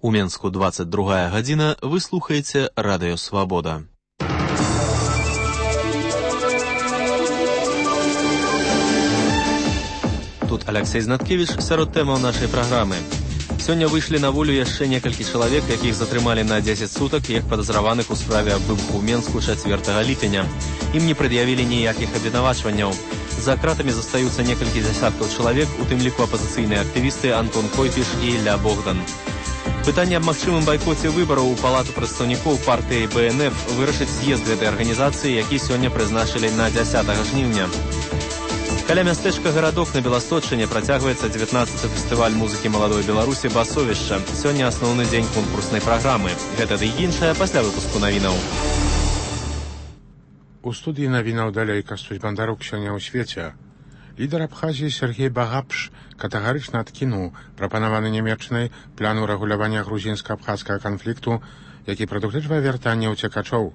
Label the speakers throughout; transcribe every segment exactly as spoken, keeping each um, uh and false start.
Speaker 1: У Менску двадцать другая гадзіна, вы слухаеце Радыё Свабода. Тут Алексей Знаткевич, сярод тэмаў нашай праграмы. Сёння выйшлі на волю яшчэ некалькі чалавек, якіх затрымалі на дзесяць сутак, як падазраваных у справе аб выбуху ў Менску чацвёртага ліпеня. Ім не прад'явілі ніякіх абвінавачванняў. За кратамі застаюцца некалькі дзясяткаў чалавек, у тым ліку апазіцыйныя актывісты Антон Койпіш і Ілля Богдан. Пытанне аб магчымым байкоце выбараў у палату прадстаўнікоў партыі Бэ Эн Эф вырашыць з'езд гэтай арганізацыі, які сёння прызначылі на дзясятага жніўня. Каля мястэчка Гарадок на Беласточчыне працягваецца дзевятнаццаты фестываль музыкі маладой Беларусі «Басовішча». Сёння асноўны дзень конкурснай праграмы. Гэта ды і іншае пасля выпуску навінаў.
Speaker 2: У студыі навінаў далей Кастусь Бандарук сёння ў свеце. Лідар Абхазіі Сергей Багапш катэгарычна адкінуў прапанаваны Нямецчынай план урэгулявання грузінска-абхазскага канфлікту, які прадугледжвае вяртанне ўцекачоў.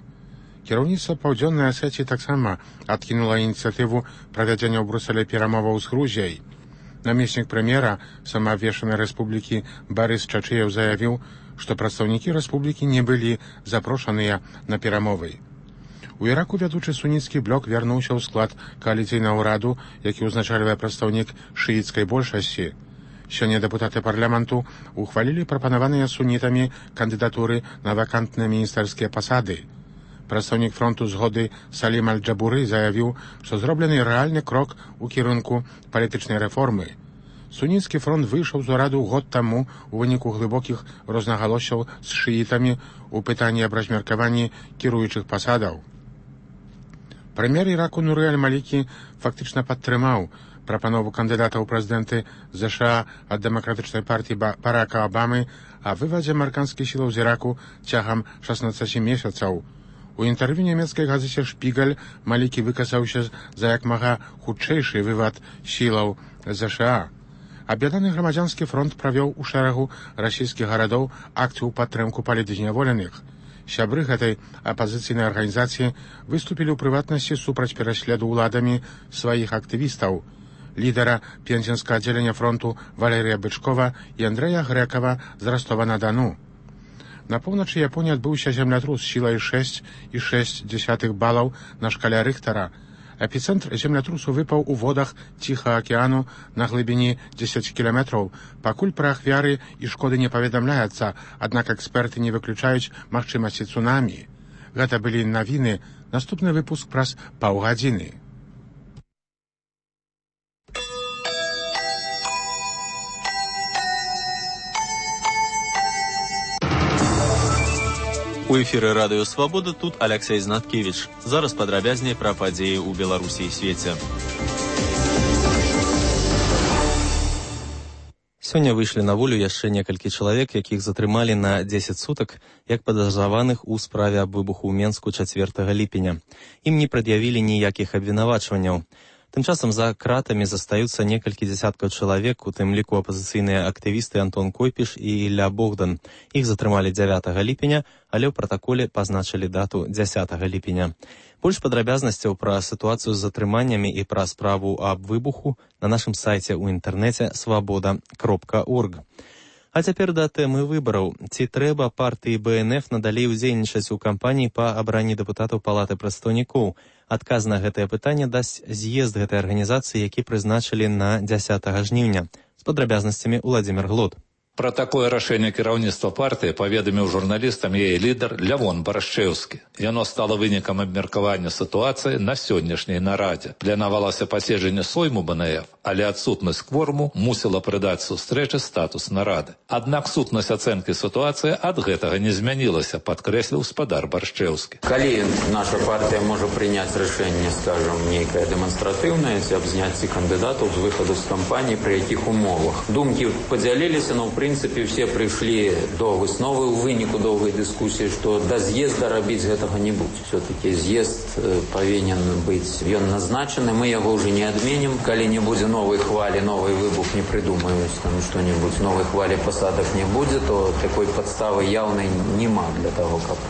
Speaker 2: Кіраўніцтва Паўдзённай Асетіі таксама адкінула ініцыятыву правядзення ў Брусэлі перамоваў з Грузіяй. Намеснік прэм'ера самаабвешчанай рэспублікі Барыс Чачыеў заявіў, што прадстаўнікі рэспублікі не былі запрошаныя на перамовы. У Іраку вядучы суніцкі блок вярнуўся ў склад кааліцыйнага ўраду, які ўзначальвае прадстаўнік шыіцкай большасці. Сёння дэпутаты парламенту ухвалілі прапанаваныя сунітамі кандыдатуры на вакантныя міністэрскія пасады. Прадстаўнік фронту згоды Салім Аль-Джабуры заявіў, што зроблены рэальны крок у кірунку палітычнай рэформы. Суніцкі фронт выйшаў з ураду год таму у выніку глыбокіх рознагалоссяў з шыітамі ў пытанні аб размеркаванні кіруючых пасадаў. Прэм'ер Іраку Нуры Аль-Малікі фактычна падтрымаў прапанову кандыдата ў прэзідэнты ЗША ад дэмакратычнай партыі Барака Абамы о вывадзе амерыканскіх сілаў з Іраку цягам шаснаццаці месяцаў. У інтэрв'ю нямецкай газеце «Шпігаль» Малікі выказаўся за як мага хутчэйшы вывад сілаў ЗША. Аб'яднаны грамадзянскі фронт правёў у шэрагу расійскіх гарадоў акцыю ў падтрымку палітзняволеных. Сябры гэтай апазіцыйнай арганізацыі выступілі ў прыватнасці супраць пераследу ўладамі сваіх актывістаў. Лідара пензенскага аддзелення фронту Валерія Бычкова і Андрэя Грэкава з Ростова-на-Дону. На поўначы Японіі адбыўся землятрус сілай шэсць і шэсць дзесятых балаў на шкале Рыхтара. Эпіцэнтр землятрусу выпаў у водах Ціхага акіяну на глыбіні дзесяць кіламетраў. Пакуль пра ахвяры і шкоды не паведамляецца, аднак эксперты не выключаюць магчымасці цунамі. Гэта былі навіны. Наступны выпуск праз паўгадзіны.
Speaker 1: У эфіры Радыё Свабода, тут Алексей Знаткевич. Зараз падрабязней пра падзеі ў Беларусі і свеце. Сёння выйшлі на волю яшчэ некалькі чалавек, якіх затрымалі на дзесяць сутак, як падазраваных у справе аб выбуху ў Менску чацвёртага ліпеня. Ім не прад'явілі ніякіх абвінавачванняў. Тым часам за кратамі застаюцца некалькі дзясяткаў чалавек, у тым ліку апазіцыйныя актывісты Антон Койпіш і Ілля Богдан. Іх затрымалі дзявятага ліпеня, але ў пратаколе пазначылі дату дзясятага ліпеня. Больш падрабязнасцяў пра сітуацыю з затрыманнямі і пра справу аб выбуху на нашым сайце ў інтэрнэце свабода кропка орг. А цяпер да тэмы выбараў. Ці трэба партыі Бэ Эн Эф надалей удзельнічаць у кампаніі па абранні дэпутатаў палаты прадстаўнікоў? Адказ на гэтае пытанне дасць з'езд гэтай арганізацыі, які прызначылі на дзясятага жніўня. З падрабязнасцямі Уладзімір Глод.
Speaker 3: Пра такое рашэнне кіраўніцтва партыі паведаміў журналістам яе лідар Лявон Барашчэўскі. Яно стала вынікам абмеркавання сітуацыі на сённяшняй нарадзе. Планавалася паседжанне сойму Бэ Эн Эф, але адсутнасць кворуму мусіла прыдаць сустрэчы статус нарады. Аднак сутнасць ацэнкі сітуацыі ад гэтага не змянілася, падкрэсліў спадар Барашчэўскі.
Speaker 4: Калі наша партыя можа прыняць рашэнне, скажам, нейкае дэманстратыўнае, ці аб зняцці кандыдатаў з выхаду з кампаніі, пры якіх умовах. Думкі падзяліліся, но ў прынцыпе все прыйшлі до высновы ў выніку доўгай дыскусіі, што да з'езда рабіць гэтага не будзе. Все-таки з'езд павінен быць, ён назначаны, мы яго ўжо не адменім. Калі не будзе новай хвалі, новый выбух не придумаюць, там што-нибудь, новой хвалі пасадак не будзе, то такой падставы яўнай нема для того, каб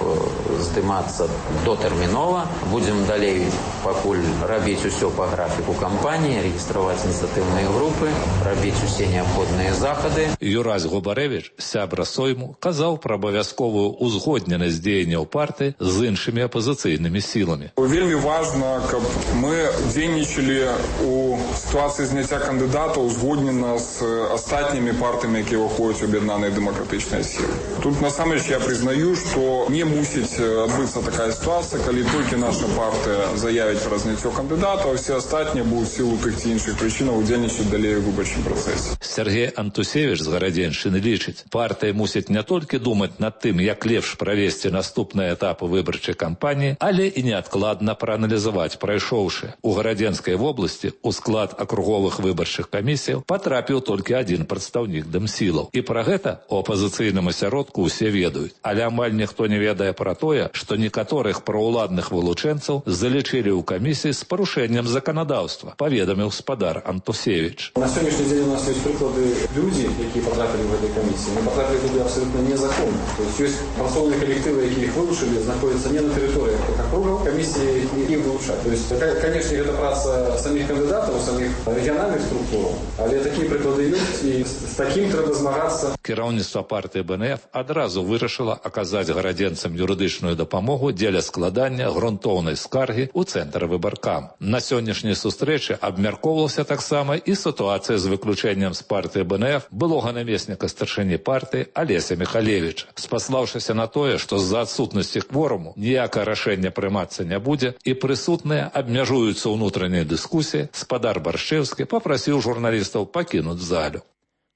Speaker 4: здымацца дотэрмінова. Будзем далей пакуль рабіць усё па графіку кампаніі, рэгістраваць ініцыятыўныя групы, рабіць усе неабходныя захады.
Speaker 3: Юраз Князь Губарэвіч, сябра Сойму, казаў пра абавязковую узгодненасць дзеянняў партыі з іншымі апазіцыйнымі сіламі.
Speaker 5: Вельмі важна, каб мы дзейнічалі у сітуацыі зняцця кандыдата узгоднена з астатнімі партыямі, якія ўваходзяць у аб'яднаныя дэмакратычныя сілы. Тут насамрэч я прызнаю, што не мусіць адбыцца такая сітуацыя, калі толькі наша партыя заявіць пра зняццё кандыдата, а ўсе астатнія будуць в сілу тых ці іншых прычынаў удзельнічаць далей у выбарчым працэсе.
Speaker 3: Сергей Антусевич з Гарадзеншчыны лічыць, партыя мусіць не толькі думаць над тым, як лепш правесці наступныя этапы выбарчай кампаніі, але і неадкладна прааналізаваць прайшоўшы. У Гарадзенскай вобласці у склад акруговых выбарчых камісіяў патрапіў толькі адзін прадстаўнік дэмсілаў. І пра гэта у апазіцыйным асяродку ўсе ведаюць. Але амаль ніхто не ведае пра тое, што некаторых праўладных вылучэнцаў залічылі ў камісіі з парушэннем заканадаўства, паведаміў спадар Антусевич.
Speaker 6: На сённяшні дзень у нас ёсць прыклады людзі, якія патрапілі ў гэтай камісіі. Мы патрапілі туды абсалютна незаконна. То есть ёсць працоўныя калектывы, якія іх вылучылі, знаходзяцца не на тэрыторыях акругаў, камісіі іх вылучаць. То есть, канешне, гэта праца саміх кандыдатаў, саміх рэгіянальных структураў, але такія прыклады ёсць, і з такім трэба змагацца.
Speaker 3: Кіраўніцтва партыі БНФ адразу вырашыла аказаць гарадзенцам юрыдычную дапамогу дзеля складання грунтоўнай скаргі ў цэнтр выбаркам. На сённяшняй сустрэчы абмяркоўвалася таксама і сітуацыя з выключэннем з партыі БНФ былога намесніка старшыні партыі Алеся Михалевіча. Спаслаўшыся на тое, што з-за адсутнасці кворуму ніякае рашэнне прымацца не будзе і прысутныя абмяжуюцца ўнутранай дыскусіі, спадар Баршчэўскі папрасіў журналістаў пакінуць залю.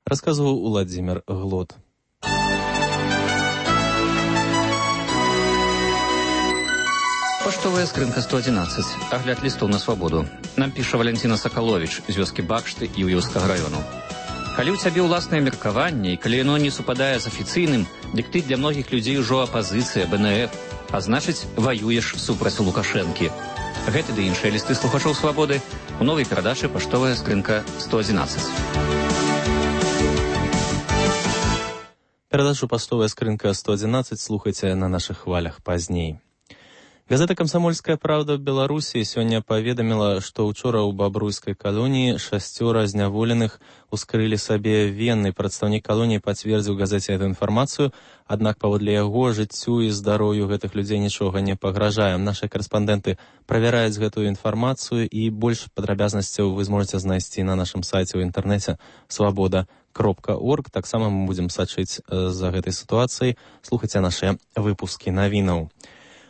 Speaker 1: Расказваў Уладзімір Глот.
Speaker 7: Паштовая скрынка сто адзінаццаць. Агляд лістоў на свабоду. Нам піша Валянціна Сакаловіч з вёскі Бакшты і Ўёўскага раёну. Калі ў цябе ўласнае меркаванне, і калі яно не супадае з афіцыйным, дык ты для многіх людзей ужо апазіцыя БНФ, а значыць, ваюеш супраць Лукашэнкі. Гэты ды іншыя лісты слухачоў свабоды у новай перадачы «Паштовая скрынка сто адзінаццаць».
Speaker 1: Перадачу «Паштовая скрынка сто адзінаццаць» слухайце на нашых хвалях пазней. Газета «Камсамольская правда» в Беларусі сёння паведаміла, што ўчора ў бабруйскай калоніі шасцёра зняволеных ускрылі сабе вены. Прадстаўнік калоніі пацвердзіў газеце эту інфармацыю, аднак паводле яго жыццю і здароўю гэтых людзей нічога не пагражае. Нашы карэспандэнты правяраюць гэтую інфармацыю, і больш падрабязнасцяў вы зможаце знайсці на нашым сайце ў інтэрнэце свабода кропка орг. Таксама мы будзем сачыць за гэтай сітуацыяй. Слухайце нашыя выпускі навінаў.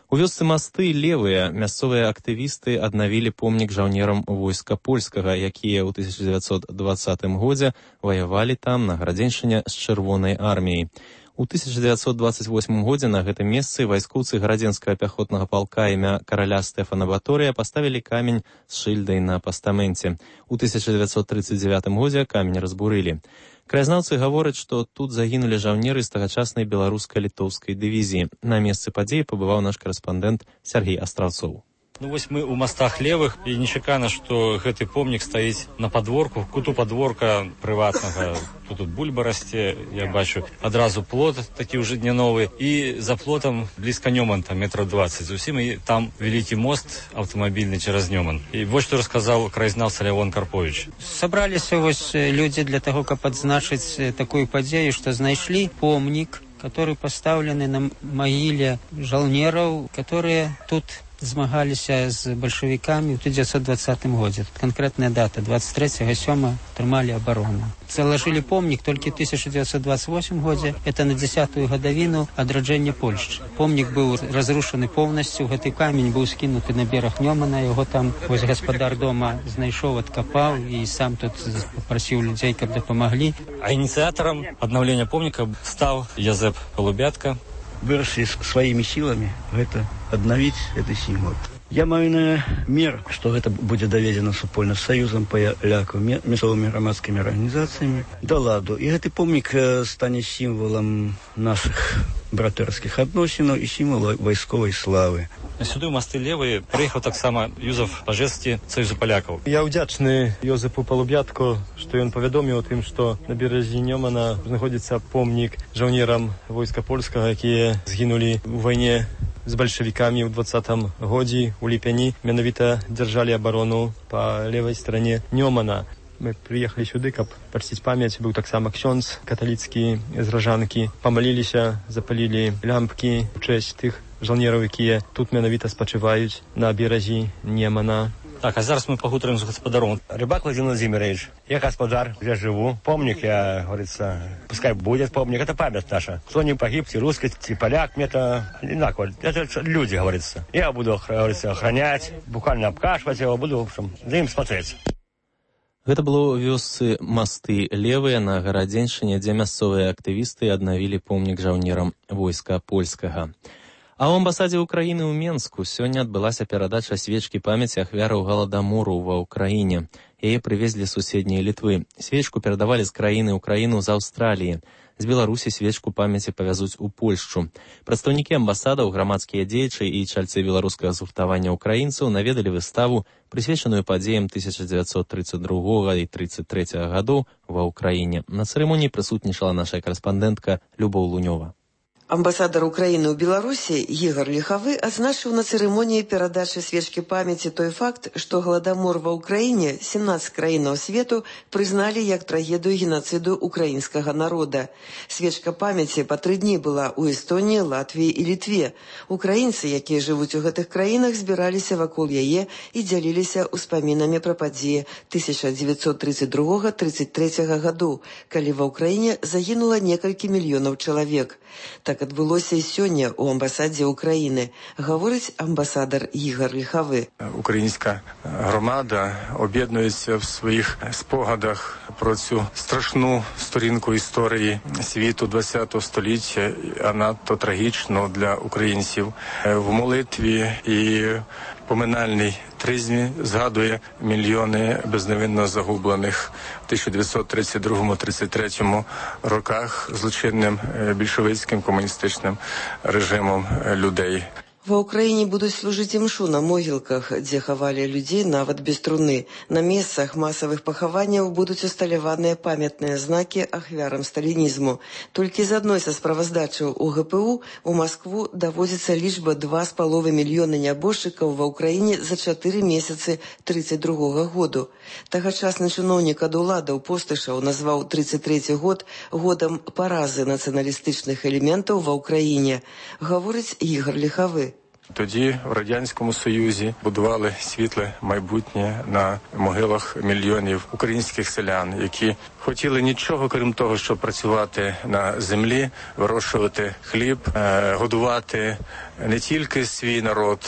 Speaker 1: У вёсцы Масты левыя мясцовыя актывісты аднавілі помнік жаўнерам войска польскага, якія ў тысяча дзевяцьсот дваццатым годзе ваявалі там на Гарадзеншчыне з чырвонай арміяй. У тысяча дзевяцьсот дваццаць восьмым годзе на гэтым месцы вайскоўцы гарадзенскага пяхотнага палка імя караля Стэфана Баторыя паставілі камень з шыльдай на пастаменце. У тысяча дзевяцьсот трыццаць дзевятым годзе камень разбурылі. Краязнаўцы гавораць, што тут загінулі жаўнеры з тагачаснай беларуска-літоўскай дывізіі. На месцы падзеі пабываў наш карэспандэнт Сергей Астраўцоў.
Speaker 8: Ну вось мы ў мастах левых, і нечакана, што гэты помнік стаіць на падворку, куту падворка прыватнага. Тут, тут бульба расце, я бачу, адразу плот такі ўжо не новы, і за плотам блізка Нёманта, метраў дваццаць зусім, і там вялікі мост аўтамабільны цераз Нёман. І вось што расказаў краязнаўца Лявон Карпович.
Speaker 9: Сабраліся вось людзі для таго, каб адзначыць такую падзею, што знайшлі помнік, который пастаўлены на магіле жаўнераў, которые тут змагаліся з бальшавікамі ў тысяча дзевяцьсот дваццатым годзе. Канкрэтная дата дваццаць трэцяга сёмага трымалі абарону. Залажылі помнік толькі ў тысяча дзевяцьсот дваццаць восьмым годзе. Это на дзясятую гадавіну адраджэння Польшчы. Помнік быў разрушаны поўнасцю, гэты камень быў скінуты на бераг Нёмана, яго там вось гаспадар дома знайшоў, адкапаў і сам тут папрасіў людзей, каб дапамаглі.
Speaker 8: А ініцыятарам аднаўлення помніка стаў Язэп Палубятка.
Speaker 10: Вырашылі сваімі сіламі гэта аднавіць гэты сімвол. Я маю намер, што гэта будзе даведзена супольна з саюзам палякаў, мясцовымі грамадскімі арганізацыямі да ладу. І гэты помнік стане сімвалам нашых братэрскіх адносінаў і сімвал вайсковай славы.
Speaker 8: Сюды ў масты левыя прыехаў таксама Юзаф Пажэцкі саюзу палякаў.
Speaker 11: Я ўдзячны Ёзэпу Палубятку, што ён павядоміў о тым, што на беразе Нёмана знаходзіцца помнік жаўнерам войска польскага, якія згінулі ў вайне з бальшавікамі ў дваццатым годзе у ліпені. Менавіта дзяржалі абарону па левай старане Нёмана. Мы приехали сюда, каб почтить память. Был так само ксёндз католицкий из Ражанки. Помолились, запалили лямпки в честь тех żołnierów, які тут менавіта спачываюць на беразе Немана.
Speaker 8: Так, а зараз мы пагутарым з гаспадаром.
Speaker 12: Рыбак Владимир Владимирович, я господар, я живу. Помник, я, говорится, пускай будет помник, это память наша. Кто не погиб, и русский, и поляк, мне это одинаково. Это люди, говорится. Я буду, говорится, охранять, буквально обкашивать его, буду, в общем, за ним смотреть.
Speaker 1: Гэта было ў вёсцы Масты Левыя на Гарадзеншчыне, дзе мясцовыя актывісты аднавілі помнік жаўнерам войска польскага. А ў амбасадзе Украіны ў Менску сёння адбылася перадача свечкі памяці ахвяраў галадамору ва ўкраіне. Яе прывезлі з суседняй Літвы. Свечку перадавалі з краіны ў краіну з Аўстраліі. З Беларусі свечку памяці павязуць у Польшчу. Прадстаўнікі амбасадаў, грамадскія дзеячы і чальцы беларускага згуртавання ўкраінцаў наведалі выставу, прысвечаную падзеям тысяча дзевяцьсот тридцать другога і тридцать третьего гадоў ва ўкраіне. На цырымоніі прысутнічала наша карэспандэнтка Любоў Лунёва.
Speaker 13: Амбасадар Украіны ў Беларусі Ігар Ліхавы адзначыў на цырымоніі перадачы свечкі памяці той факт, што галадамор ва ўкраіне сямнаццаць краінаў свету прызналі як трагедыю генацыду украінскага народа. Свечка памяці па тры дні была ў Эстоніі, Латвіі і Літве. Украінцы, якія жывуць у гэтых краінах, збіраліся вакол яе і дзяліліся ўспамінамі пра падзеі тысяча дзевяцьсот тридцать другога — тридцать третьего гадоў, калі ва ўкраіне загінула некалькі мільёнаў чалавек. Так адбылося і сёння ў амбасадзе Украіны, гаворыць амбасадар Ігар Ліхавы.
Speaker 14: Українська громада об'єднується в своїх спогадах про цю страшну сторінку історії світу ХХого століття, а надто трагічно для українців. В молитві і поминальній тризні згадує мільйони безневинно загублених в тисяча дев'ятсот тридцять другому — тридцять третьому роках злочинним більшовицьким комуністичним режимом людей.
Speaker 13: Ва ўкраіне будуць служыць імшу на могілках, дзе хавалі людзей нават без труны. На месцах масавых пахаванняў будуць усталяваныя памятныя знакі ахвярам сталінізму. Толькі з адной са справаздачаў у гэ пэ у у Маскву даводзіцца лічба два з паловай мільёны нябожчыкаў ва ўкраіне за чатыры месяцы тридцать другога году. Тагачасны чыноўнік ад уладаў Постышаў назваў тридцать трэці год годам паразы нацыяналістычных элементаў ва ўкраіне, гаворыць Ігар Ліхавы.
Speaker 14: Тоді в Радянському Союзі будували світле майбутнє на могилах мільйонів українських селян, які хотіли нічого, крім того, щоб працювати на землі, вирощувати хліб, годувати не тільки свій народ,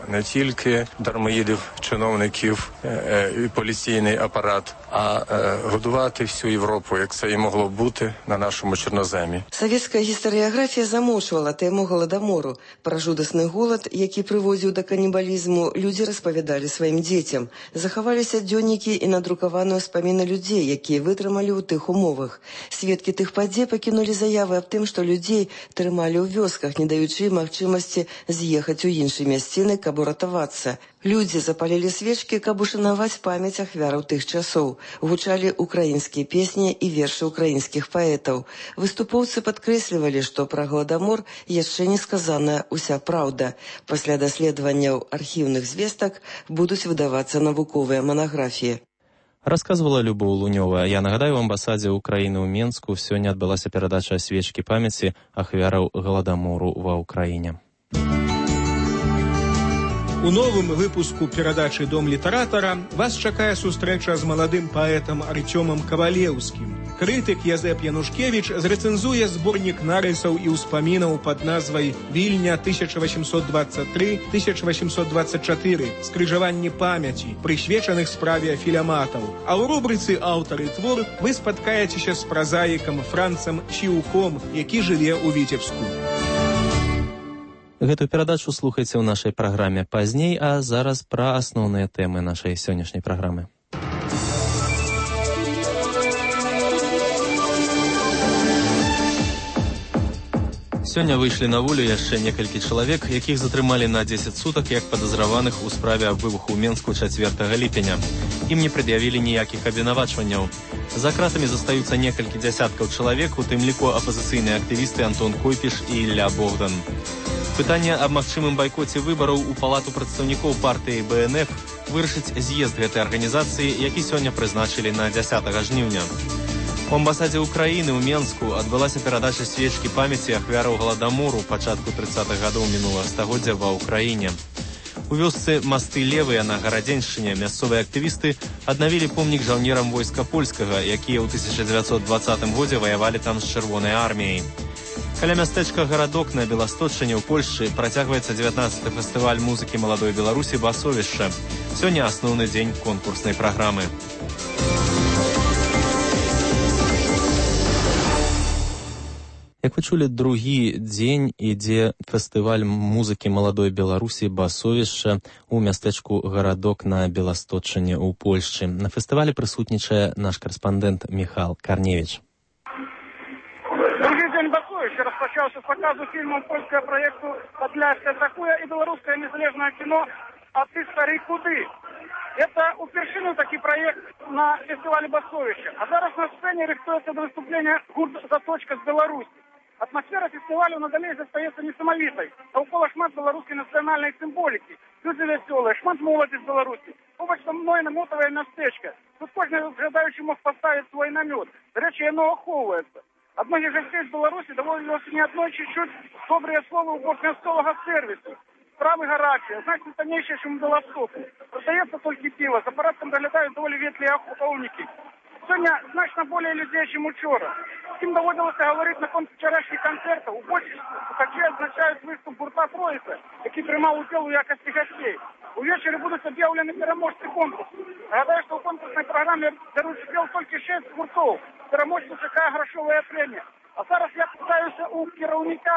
Speaker 14: не тільки дармоїдів, чиновників і поліційний апарат, а годувати всю Європу, як це і могло бути на нашому чорноземі.
Speaker 13: Савецкая гістарыяграфія замоўчвала тэму галадамору. Пра жудасны голад, які прыводзіў да канібалізму, людзі распавядалі сваім дзецям. Захаваліся дзённікі і надрукаваныя ўспаміны людзей, якія вытрымалі ў тых умовах. Сведкі тых падзей пакінулі заявы аб тым, што людзей трымалі ў вёсках, не даючы магчымасці з'ехаць у іншыя мясціны, каб уратавацца. Людзі запалілі свечкі, каб ушанаваць памяць ахвяраў тых часоў. Гучалі украінскія песні і вершы украінскіх паэтаў. Выступоўцы падкрэслівалі, што пра галадамор яшчэ не сказаная ўся праўда. Пасля даследаванняў архіўных звестак будуць выдавацца навуковыя манаграфіі.
Speaker 1: Рассказывала Любоў Лунёва. Я нагадаю, в амбасадзе Украіны ў Менску сёння адбылася перадача свечкі памяці ахвяраў галадамору ва ўкраіне.
Speaker 15: У новым выпуску перадачы «Дом літаратара» вас чакае сустрэча з маладым паэтам Арцёмам Кавалеўскім. Крытык Язэп Янушкевіч зрэцэнзуе зборнік нарысаў і ўспамінаў пад назвай «Вільня тысяча восемьсот двадцать три — тысяча восемьсот двадцать четыре. Скрыжаванні памяці», прысвечаных справе філяматаў. А ў рубрыцы «Аўтар і твор» вы спаткаецеся з празаікам Францам Чіўком, які жыве ў Віцебску.
Speaker 1: Гэтую перадачу слухайце ў нашай праграме пазней, а зараз пра асноўныя тэмы нашай сённяшняй праграмы. Сёння выйшлі на волю яшчэ некалькі чалавек, якіх затрымалі на дзесяць сутак як падазраваных у справе аб выбуху ў Менску чацвёртага ліпеня. Ім не прад'явілі ніякіх абвінавачванняў. За кратамі застаюцца некалькі дзясяткаў чалавек, у тым ліку апазіцыйныя актывісты Антон Койпіш і Ілля Богдан. Пытанне аб магчымым байкоце выбараў у палату прадстаўнікоў партыі бэ эн эф вырашыць з'езд гэтай арганізацыі, які сёння прызначылі на дзясятага жніўня. У амбасадзе Украіны ў Менску адбылася перадача свечкі памяці ахвяраў галадамору пачатку трыццатых гадоў мінулага стагоддзя ва ўкраіне. У вёсцы Масты Левыя на Гарадзеншчыне мясцовыя актывісты аднавілі помнік жаўнерам войска польскага, якія ў тысяча дзевяцьсот дваццатым годзе ваявалі там з чырвонай арміяй. Каля мястэчка Гарадок на Беласточчыне ў Польшчы працягваецца дзевятнаццаты фестываль музыкі маладой Беларусі «Басовішча». Сёння асноўны дзень конкурснай праграмы. Як вы чулі, другі дзень ідзе фестываль музыкі маладой Беларусі «Басовішча» у мястэчку Гарадок на Беласточчыне ў Польшчы. На фестывалі прысутнічае наш карэспандэнт Михал Карневич.
Speaker 16: Другі дзень «Басовішча» распачаўся з паказу фільму польскага праекту «Падляшская такое» і беларускае незалежнае кіно «А ты, стары, куды?». Это упершыню такі праект на фестывале «Басовішча». А зараз на сцэне рыхтуецца да выступлення гурт «Заточка» з Беларусі. Атмосфера фестивалю надалей застаецца несамавітай. Навкола шмат беларускай нацыянальнай сімволікі. Людзі вясёлыя, шмат моладзі з Беларусі. Побач са мной намотавае мястэчка. Тут кожны жадаючы мог паставіць свой намёт. Да рэчы, яно ахоўваецца. Ад многіх гасцей з Беларусі даводзілася не аднойчы чуць добрыя словы ў бок мясцовага сэрвісу. Справы гарачыя, значна таннейшыя, чым у Беластоку. Прадаецца толькі піва, за парадкам даглядаюць даволі ветлыя ахоўнікі. Сёння значна болей людзей, чым учора. Ім даводзілася гаварыць наконт вчарашніх канцэртаў. У большасці такі адзначаюць выступ гурта «Троіца», які прымаў удзел у якасці гасцей. Увечары будуць аб'яўлены пераможцы конкурсу. Нагадаю, што ў конкурснай праграме бяруць удзел толькі шэсць гуртоў. Пераможцу чакае грашовая прэмія. А зараз я пытаюся у кіраўніка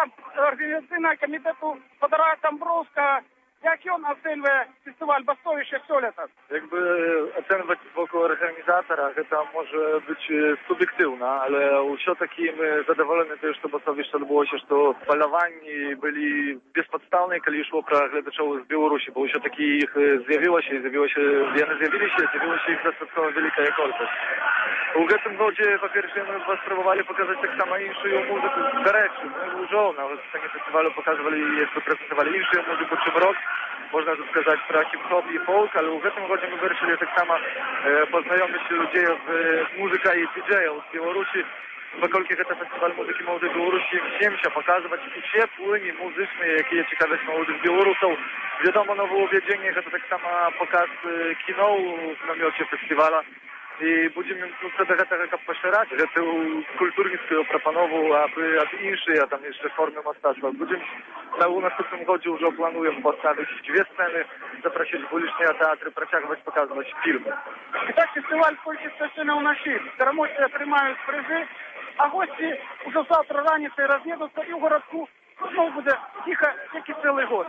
Speaker 16: арганізацыйнага камітэту Фадара Тамброўскага, як ён ацэньвае фестываль «Басовішча» сёлета?
Speaker 17: Jakby oceniać wokół organizatora, to może być subiektywna, ale все-таки my zadowoleni też, że Басовішча odbyło się, że balowani byli bezpodstawni, kiedy szło про глядачів z Białorusi, bo все-таки ich zjawiło się, zjawiło się, one zjawili się, zjawiło się ich dostatkowo wielka jakość. U tym wodzie, po pierwsze, my spróbowali pokazać tak samo inną muzykę z Gareczy, my już na scenie festiwalu pokazywali, jeszcze prezentowali inną muzykę, czym rock. Można tu сказать про хип-хоп и фолк, ale w tym roku my wyruszyli tak samo e, poznajomić ludzi w muzyka i didżejów z Białorusi, pokolki to festiwal muzyki młodej Białorusi, chciałem się pokazywać ucie płynie muzyczne, jakie ciekawość młodych Białorusów. Wiadomo, nowe uwiedzenie, to tak samo pokaz kino w namiocie festiwala. I będziemy no, wtedy tego poszerzać, że to kulturnictwo proponował, aby, aby insze, a tam jeszcze formy masterstwa. Będziemy na następnym roku już planują postawić dwie sceny, zaprosić uliczne teatry, praciować, pokazywać filmy.
Speaker 16: I tak festiwal w Polsce zaczynał na sił. Переможці отримають призи, а гості уже завтра раніцей роз'їдуться і в городку знову буде тихо, як і цілий год.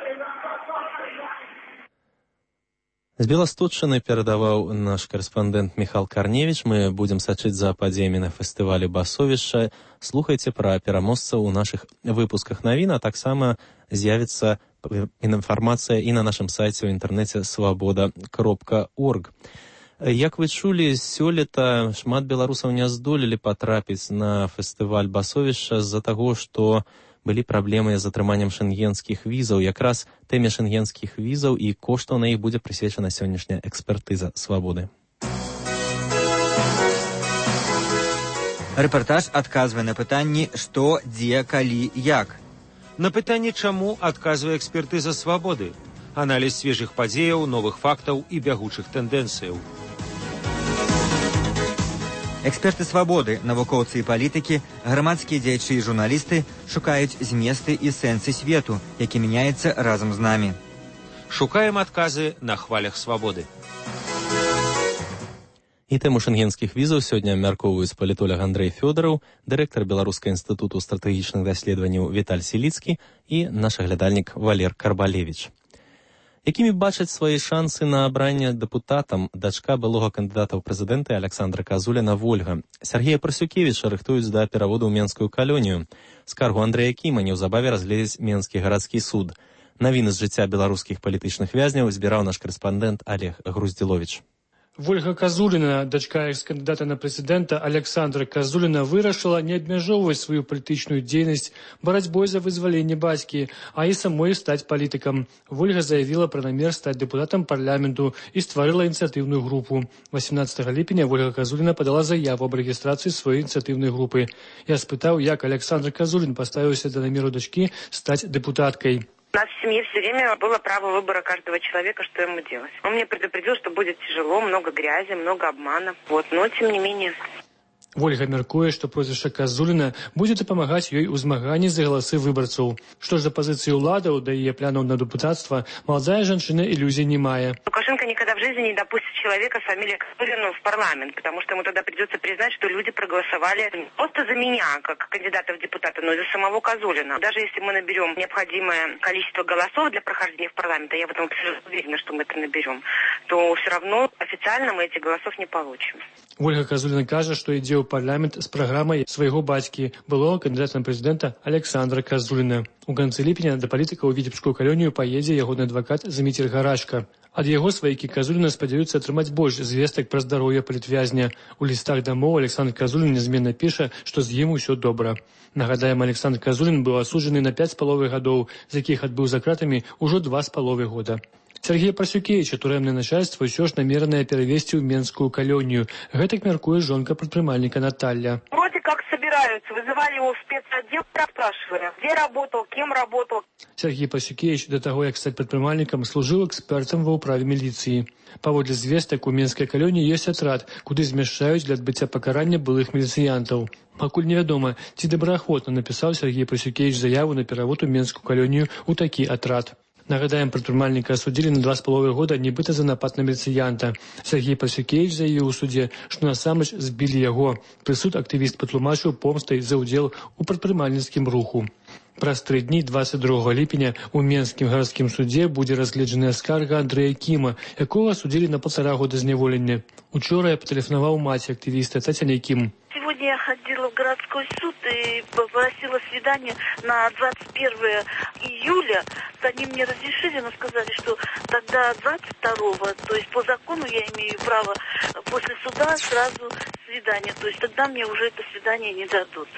Speaker 1: З Беласточчыны перадаваў наш карэспандэнт Михал Карневич. Мы будзем сачыць за падзеямі на фестывалі «Басовішча». Слухайце пра пераможцаў у нашых выпусках навін, а таксама з'явіцца інфармацыя і на нашым сайце ў інтэрнэце свабода кропка орг. Як вы чулі, сёлета шмат беларусаў не здолелі патрапіць на фестываль «Басовішча» з-за таго, што былі праблемы з атрыманнем шэнгенскіх візаў. Якраз тэме шэнгенскіх візаў і коштаў на іх будзе прысвечана сённяшняя экспертыза свабоды.
Speaker 18: Рэпартаж адказвае на пытанні «Што, дзе, калі, як?».
Speaker 19: На пытанне «Чаму» адказвае экспертыза свабоды. Аналіз свежых падзеяў, новых фактаў і бягучых тэндэнцыяў.
Speaker 18: Эксперты свабоды, навукоўцы і палітыкі, грамадскія дзеячы і журналісты шукаюць зместы і сэнсы свету, які мяняецца разам з намі.
Speaker 19: Шукаем адказы на хвалях свабоды.
Speaker 1: І тэму шэнгенскіх візаў сёння абмяркоўваюць палітолог Андрэй Фёдараў, дырэктар Беларускага інстытуту стратэгічных даследаванняў Віталь Сіліцкі і наш аглядальнік Валер Карбалевіч. Якімі бачаць свае шансы на абранне дэпутатам дачка былога кандыдата ў прэзідэнты Аляксандра Казуляна Вольга. Сергея Прасюкевіча рыхтуюць да пераводу ў Менскую калонію. Скаргу Андрэя Кіма неўзабаве разгледзіць Менскі гарадскі суд. Навіны з жыцця беларускіх палітычных вязняў збіраў наш карэспандэнт Олег Груздзіловіч.
Speaker 20: Вольга Казуліна, дачка экс-кандыдата на прэзідэнта Александра Казуліна, вырашыла не абмяжоўваць сваю палітычную дзейнасць барацьбой за вызваленне бацькі, а і самой стаць палітыкам. Вольга заявіла пра намер стаць дэпутатам парламенту і стварыла ініцыятыўную групу. восемнадцатага ліпеня Вольга Казуліна падала заяву аб рэгістрацыі сваёй ініцыятыўнай групы. Я спытаў, як Александр Казулін паставіўся да намеру дачкі стаць дэпутаткай.
Speaker 21: У нас в семье все время было право выбора каждого человека, что ему делать. Он мне предупредил, что будет тяжело, много грязи, много обмана. Вот, но тем не менее...
Speaker 20: Вольга мяркуе, што прозвішча Казуліна будзе дапамагаць ёй у змаганні за галасы выбарцаў. Што ж за пазіцыі ўладаў да яе планаў на дэпутацтва, маладая жанчына ілюзій не мае.
Speaker 21: Лукашенко никогда в жизни не допустит человека с фамилией Казулина в парламент, потому что ему тогда придется признать, что люди проголосовали не просто за меня, как кандидата в депутаты, но и за самого Казулина. Даже если мы наберем необходимое количество голосов для прохождения в парламент, а я в этом уверена, что мы это наберем, то все равно официально мы этих голосов не получим.
Speaker 20: Вольга Казуліна кажа, што ідзе ў парламент з праграмай свайго бацькі, былога кандыдата на прэзідэнта Александра Казуліна. У канцы ліпеня да палітыка ў Віцебскую калонію паедзе ягоны адвакат Зміцер Гарашка. Ад яго сваякі Казуліна спадзяюцца атрымаць больш звестак пра здароўе палітвязня. У лістах дамоў Александр Казулін нязменна піша, што з ім усё добра. Нагадаем, Александр Казулін быў асуджаны на пяць з паловай гадоў, з якіх адбыў за кратамі ўжо два з паловай года. Сергея Прасюкевича турэмнае начальство ўсё ж намеранае перавесці ў Менскую калонію. Гэтак мяркуе жонка прадпрымальніка Наталья.
Speaker 21: Вроде как собираются, вызывали его в спецотдел, спрашивали, где работал, кем работал.
Speaker 20: Сергей Прасюкевич до таго, як стаць прадпрымальнікам, служыў экспертам ва ўправе міліцыі. Паводле звестак, у Менскай калоніі ёсць атрад, куды змяшчаюць для адбыцця пакарання былых міліцыянтаў. Пакуль невядома, ці добраахвотна напісаў Сергей Прасюкевич заяву на перавод у Менскую калонію ў такі атрад. Нагадаем, прадпрымальніка асудзілі на два з паловай года нібыта за напад на міліцыянта. Сергей Прасюкевич заявіў у судзе, што насамрэч збілі яго. Прысуд актывіст патлумачыў помстай за ўдзел у прадпрымальніцкім руху. Праз тры дні двадцать другога ліпеня у Менскім гарадскім судзе будзе разгледжаная скарга Андрэя Кіма, якога асудзілі на паўтара года зняволення. Учора я патэлефанаваў маці актывіста Тацяне Кім.
Speaker 22: Сегодня я ходила в городской суд и попросила свидание на двадцать первое июля. Они мне разрешили, но сказали, что тогда двадцать второго, то есть по закону я имею право после суда сразу свидание. То есть тогда мне уже это свидание не дадут.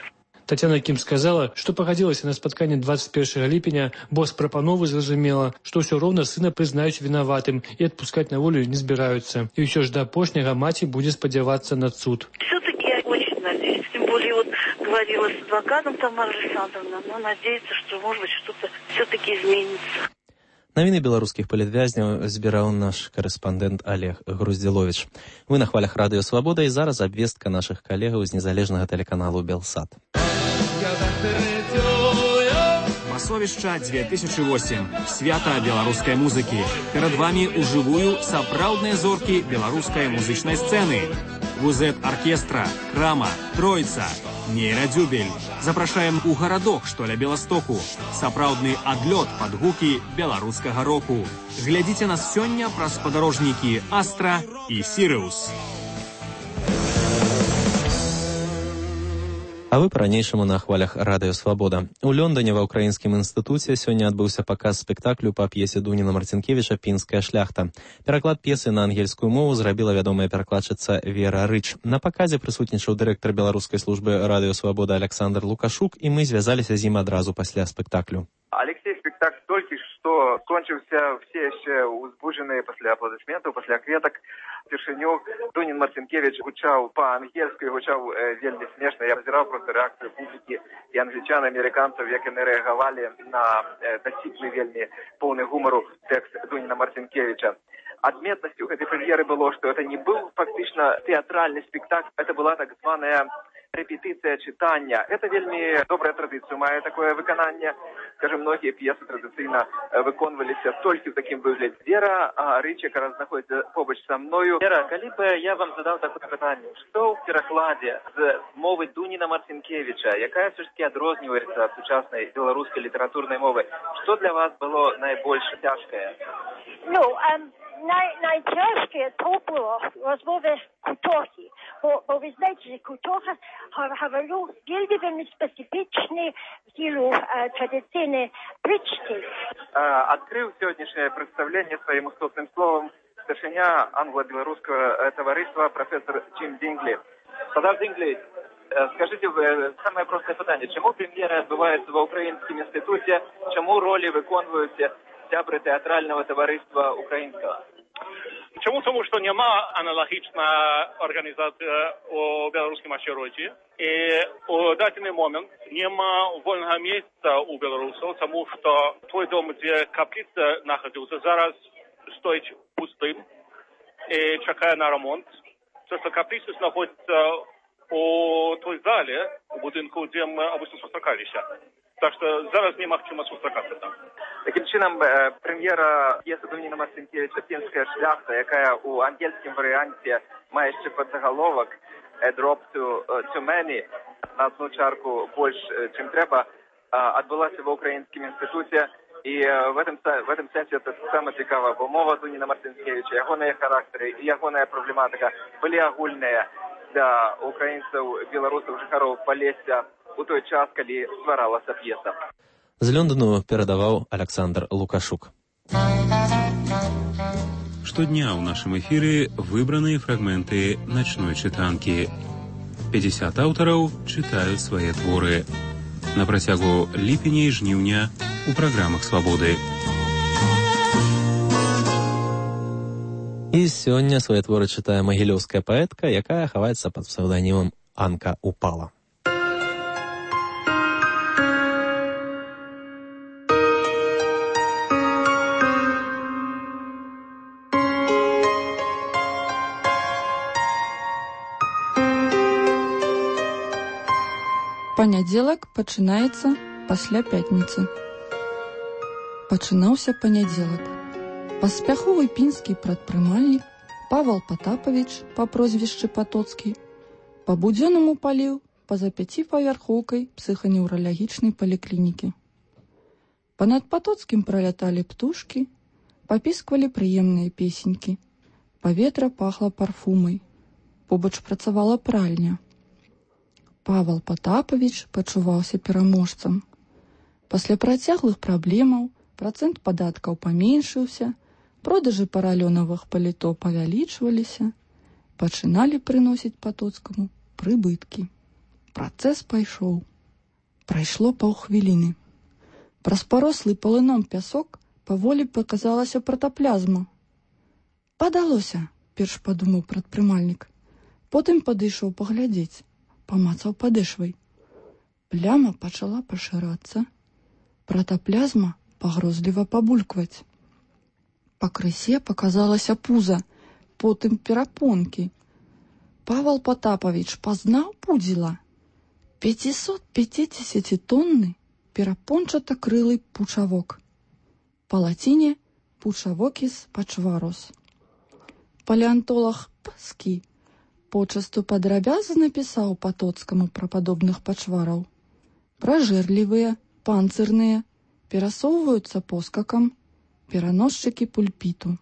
Speaker 20: Тацяна Кім сказала, што пагадзілася на спатканне двадцать першага ліпеня, бо з прапановы зразумела, што ўсё роўна сына прызнаюць вінаватым і адпускаць на волю не збіраюцца. І ўсё ж да апошняга маці будзе спадзявацца на суд.
Speaker 22: Все-таки я очень надеюсь. Тем более вот говорила с адвокатом Тамара Александровна, но надеется, что может быть что-то все-таки изменится.
Speaker 1: Навіны беларускіх палітвязняў збіраў наш корэспандэнт Олег Груздзіловіч. Вы на хвалях радыё Свабода, і зараз абвестка нашых калегаў з незалежнага тэлеканалу Белсат.
Speaker 23: Масовішча две тысячи восемь. Свята беларускай музыкі. Перад вамі ўжывую сапраўдныя зоркі беларускай музычнай сцэны. Вузет-аркестра, Крама, Троица, Нейрадзюбель. Запрашаем у гарадок, што ля Беластоку. Сапраўдны адлёт пад гукі беларускага року. Глядзіце нас сёння праз спадарожнікі Астра і Сіриус.
Speaker 1: А вы па-ранейшаму на хвалях радыё Свабода. У Лондоне ва ўкраінскім інстытуце сёння адбыўся паказ спектаклю па п'есе Дуніна Марцінкевіча «Пінская шляхта». Пераклад п'есы на ангельскую мову зрабіла вядомая перакладчыца Вера Рыч. На паказе прысутнічаў дырэктар беларускай службы радыё Свабода Александр Лукашук, і мы звязаліся з ім адразу пасля спектаклю.
Speaker 24: Алексей, спектакль толькі што скончыўся, все яшчэ узбуджаныя пасля апладысментаў, пасля кветак. Упершыню Дунін Марцінкевіч гучаў па-ангельску, гучаў э, вельмі смешна. Я назіраў просто рэакцыю публікі і англічан, амерыканцаў, як яны рэагавалі на э, дасіпны вельмі поўны гумару тэкст Дуніна Марцінкевіча. Адметнасцю гэтай прэм'еры было, што это не быў фактычна тэатральны спектакль, это была так званая репетиция читания. Это вельми добрая традиция, мае такое выкананне. Скажем, многие пьесы традиционно выконваліся толькі в таким выглядзе. Вера Рыч, яка знаходится побач со мною. Вера, калі бы я вам задал такое пытанне, что в перакладе з мовы Дуніна Марцінкевіча, якая все ж таки адрозніваецца ад сучаснай беларускай літаратурнай мовы, что для вас было найбольш цяжкае?
Speaker 25: Ну, um... Най- найтяжче то було розмови кутохи. Бо, бо ви знаєте, що кутоха говорю вельми специфічні тілу традиційні причти.
Speaker 24: Открыл сегодняшнее представление своим уступным словом старшиня англо-белорусского товариства профессор Джим Динглі. Профессор Динглі, скажите, самое простое питание. Чому прем'єра відбувається в Українському інституті? Чому ролі виконують сябри театрального товариства українського?
Speaker 2: Чому? Тому що нема аналогічна організація у білоруському осередку. І у даний момент нема вільного місця у білорусів, тому що той дом, де каплиця знаходиться, зараз стоїть пустим і чекає на ремонт. Це що каплиця знаходиться у той залі, у будинку, де ми обично зустрічалися. Так що зараз нема чому зустрічатися там.
Speaker 24: Таким чином, прем'єра п'єси Дуніна Марцинкевича «Пінська шляхта», яка у ангельському варіанті має ще підзаголовок «Дропцю Тюмені» на одну чарку більше, чим треба, відбулася в Українському інституті. І в этом, в этом сенсі це саме цікаво, бо мова Дуніна Марцинкевича, його характери і його проблематика були агульні для українців, білорусів, жихарів Полесся у той час, коли створалася п'єса.
Speaker 1: З Лондону передаваў Александр Лукашук.
Speaker 3: Штодня ў нашым эфіры выбраныя фрагменты начной чытанкі. пятьдесят аўтараў чытаюць свае творы. На працягу ліпеня і жніўня у праграмах «Свабоды».
Speaker 1: І сёння свае творы чытае магілёўская паэтка, якая хаваецца пад псеўданімам Анка Упала.
Speaker 4: Панядзелак пачынаецца пасля пятніцы. Пачынаўся панядзелак. Паспяховы пінскі прадпрымальнік Павел Потапавіч па прозвішчы Патоцкі па-будзённаму паліў па-за пяціпавярхоўкай псіханеўралагічнай паліклінікі. Панад Патоцкім праляталі птушкі, папісквалі прыемныя песенькі. Паветра пахла парфумай. Побач працавала пральня. Павел Потапавіч пачуваўся пераможцам. Пасля працяглых праблемаў працэнт падаткаў паменшыўся, продажы паралёнавых паліто павялічваліся, пачыналі прыносіць Патоцкаму прыбыткі. Працэс пайшоў. Прайшло паўхвіліны. Праз парослы палыном пясок паволі паказалася пратаплязма. «Падалося», перш падумаў прадпрымальнік. Потым падышоў паглядзець. Памацаў падэшвай. Пляма пачала пашырацца. Пратаплязма пагрозліва пабулькваць. Па крысе паказалася пуза, потым перапонкі. Павел Потапавіч пазнаў пудзіла. пятьсот пятьдесят тонны перапончата-крылы пучавок. Па лаціне пучавокіс пачварос. Палеантолог Пскі почасту падрабязна напісаў Патоцкаму пра падобных пачвараў. Пражэрлівыя, панцырныя, перасоўваюцца поскакам, пераносчыкі пульпіту.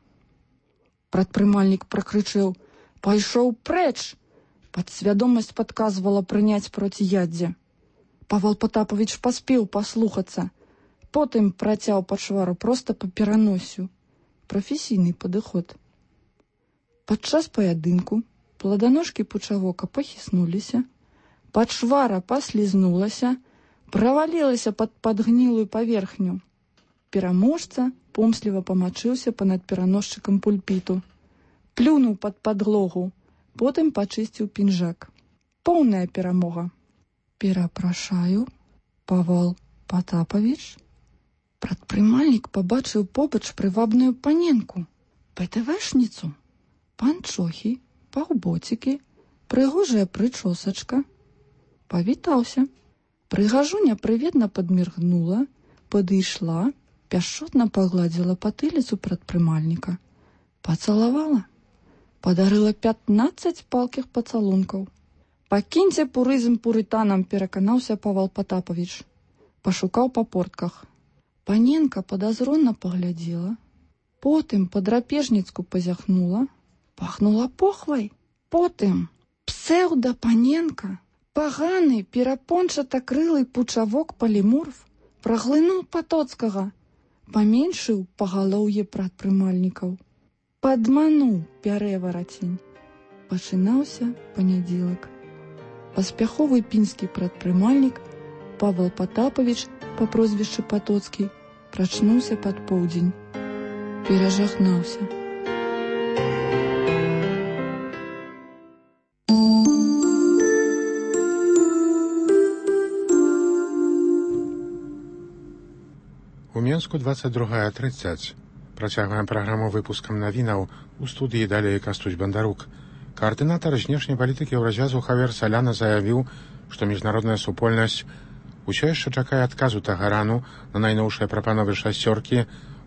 Speaker 4: Прадпрымальнік пракрычэў: «Пайшоў прэч!» Падсвядомасць падказвала прыняць проціяддзе. Павел Потапавіч паспеў паслухацца. Потым працяў пачвару проста па пераносю. Прафесійны падыход. Падчас паядынку пладаножкі пучавока пахіснуліся, пачвара паслізнулася, правалілася пад падгнілую паверхню. Пераможца помсліва памачыўся панад пераносчыкам пульпіту. Плюнуў пад падлогу, потым пачысціў пінжак. Поўная перамога. «Перапрашаю, Павел Потапавіч». Прадпрымальнік пабачыў побач прывабную паненку, пэтэвэшніцу, панчохі, паўботікі, прыгожая прычосачка. Павітаўся. Прыгажуня прыветна падміргнула, падышла, пяшчотна пагладзіла патыліцу прадпрымальніка. Пацалавала. Падарыла пятнаццаць палкіх пацалункаў. «Пакіньце пурызм пурытанам», пераканаўся Павел Потапавіч. Пашукаў па портках. Паненка падазронна паглядзела, потым па-драпежніцку пазяхнула, пахнула похвай. Потым псеўда-паненка, паганы перапончата-крылы пучавок паліморф праглынуў Патоцкага, паменшыў пагалоўе прадпрымальнікаў. Падмануў пярэварацень. Пачынаўся панядзелак. Паспяховы пінскі прадпрымальнік Павел Потапович па прозвішчы Патоцкі прачнуўся пад поўдзень. Перажахнаўся.
Speaker 5: У Менску двадцать другая тридцать. Працягваем праграму выпускам навінаў. У студыі далей Кастусь Бандарук. Каардынатар знешняй палітыкі Еўразвязу Хавер Саляна заявіў, што міжнародная супольнасць усё яшчэ чакае адказу Тэгарану на найноўшыя прапановы шасцёркі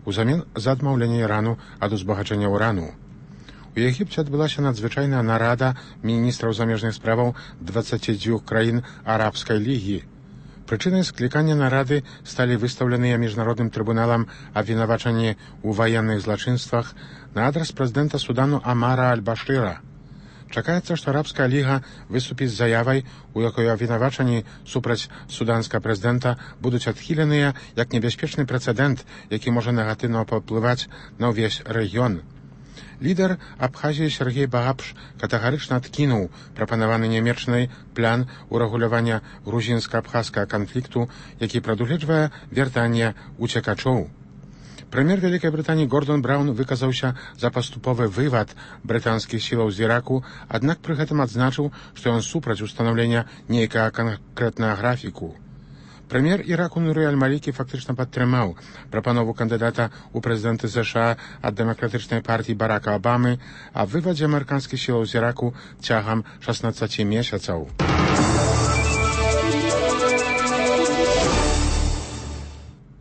Speaker 5: узамен за адмаўленне Ірану ад узбагачэння урану. У Егіпце адбылася надзвычайная нарада міністраў замежных справаў дваццаці дзвюх краін арабскай лігі. Прычынай склікання нарады сталі выстаўленыя міжнародным трыбуналам абвінавачанні ў ваенных злачынствах на адрас прэзідэнта Судану Амара Аль-Башыра. Чакаецца, што арабская ліга выступіць з заявай, у якой абвінавачанні супраць суданскага прэзідэнта будуць адхіленыя як небяспечны прэцэдэнт, які можа негатыўна паўплываць на ўвесь рэгіён. Лідар Абхазіі Сергей Багапш катэгарычна адкінуў прапанаваны нямецкай план урэгулявання грузінска-абхазскага канфлікту, які прадугледжвае вяртанне уцекачоў. Прэм'ер Вялікай Брытаніі Гордон Браўн выказаўся за паступовы вывад брытанскіх сілаў з Іраку, аднак пры гэтым адзначыў, што ён супраць устанаўлення нейкага канкрэтнага графіку. Прэм'ер Іраку Нуры Аль-Малікі фактычна падтрымаў прапанову кандыдата ў прэзідэнты ЗША ад дэмакратычнай партіі Барака Абамы аб вывадзе амерыканскіх сілаў з Іраку цягам шаснаццаці месяцаў.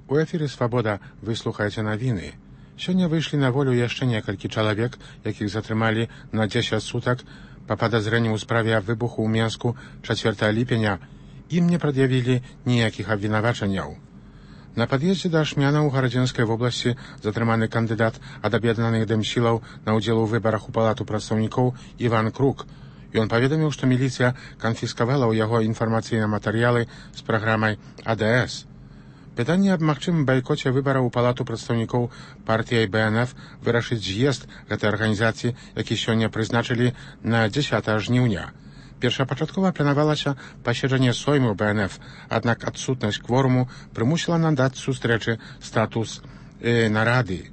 Speaker 5: У эфіры «Свабода» вы слухаеце навіны. Сёння выйшлі на волю яшчэ некалькі чалавек, якіх затрымалі на дзесяць сутак па падазрэнні ў справе аб выбуху ў Менску чацвёртага ліпеня. Ім не прад'явілі ніякіх абвінавачанняў. На пад'ездзе да Ашмяна ў Гарадзенскай вобласці затрыманы кандыдат ад аб'яднаных дэмсілаў на ўдзел у выбарах у палату прадстаўнікоў Іван Крук. Ён паведаміў, што міліцыя канфіскавала ў яго інфармацыйныя матэрыялы з праграмай А Д С. Пытанне аб магчымым байкоце выбараў у палату прадстаўнікоў партыяй Б Н Ф вырашыць з'езд гэтай арганізацыі, які сёння прызначылі на дзесятага жніўня. Першапачаткова планавалася паседжанне сойму Б Н Ф, аднак адсутнасць кворуму прымусіла надаць сустрэчы статус э, нарады.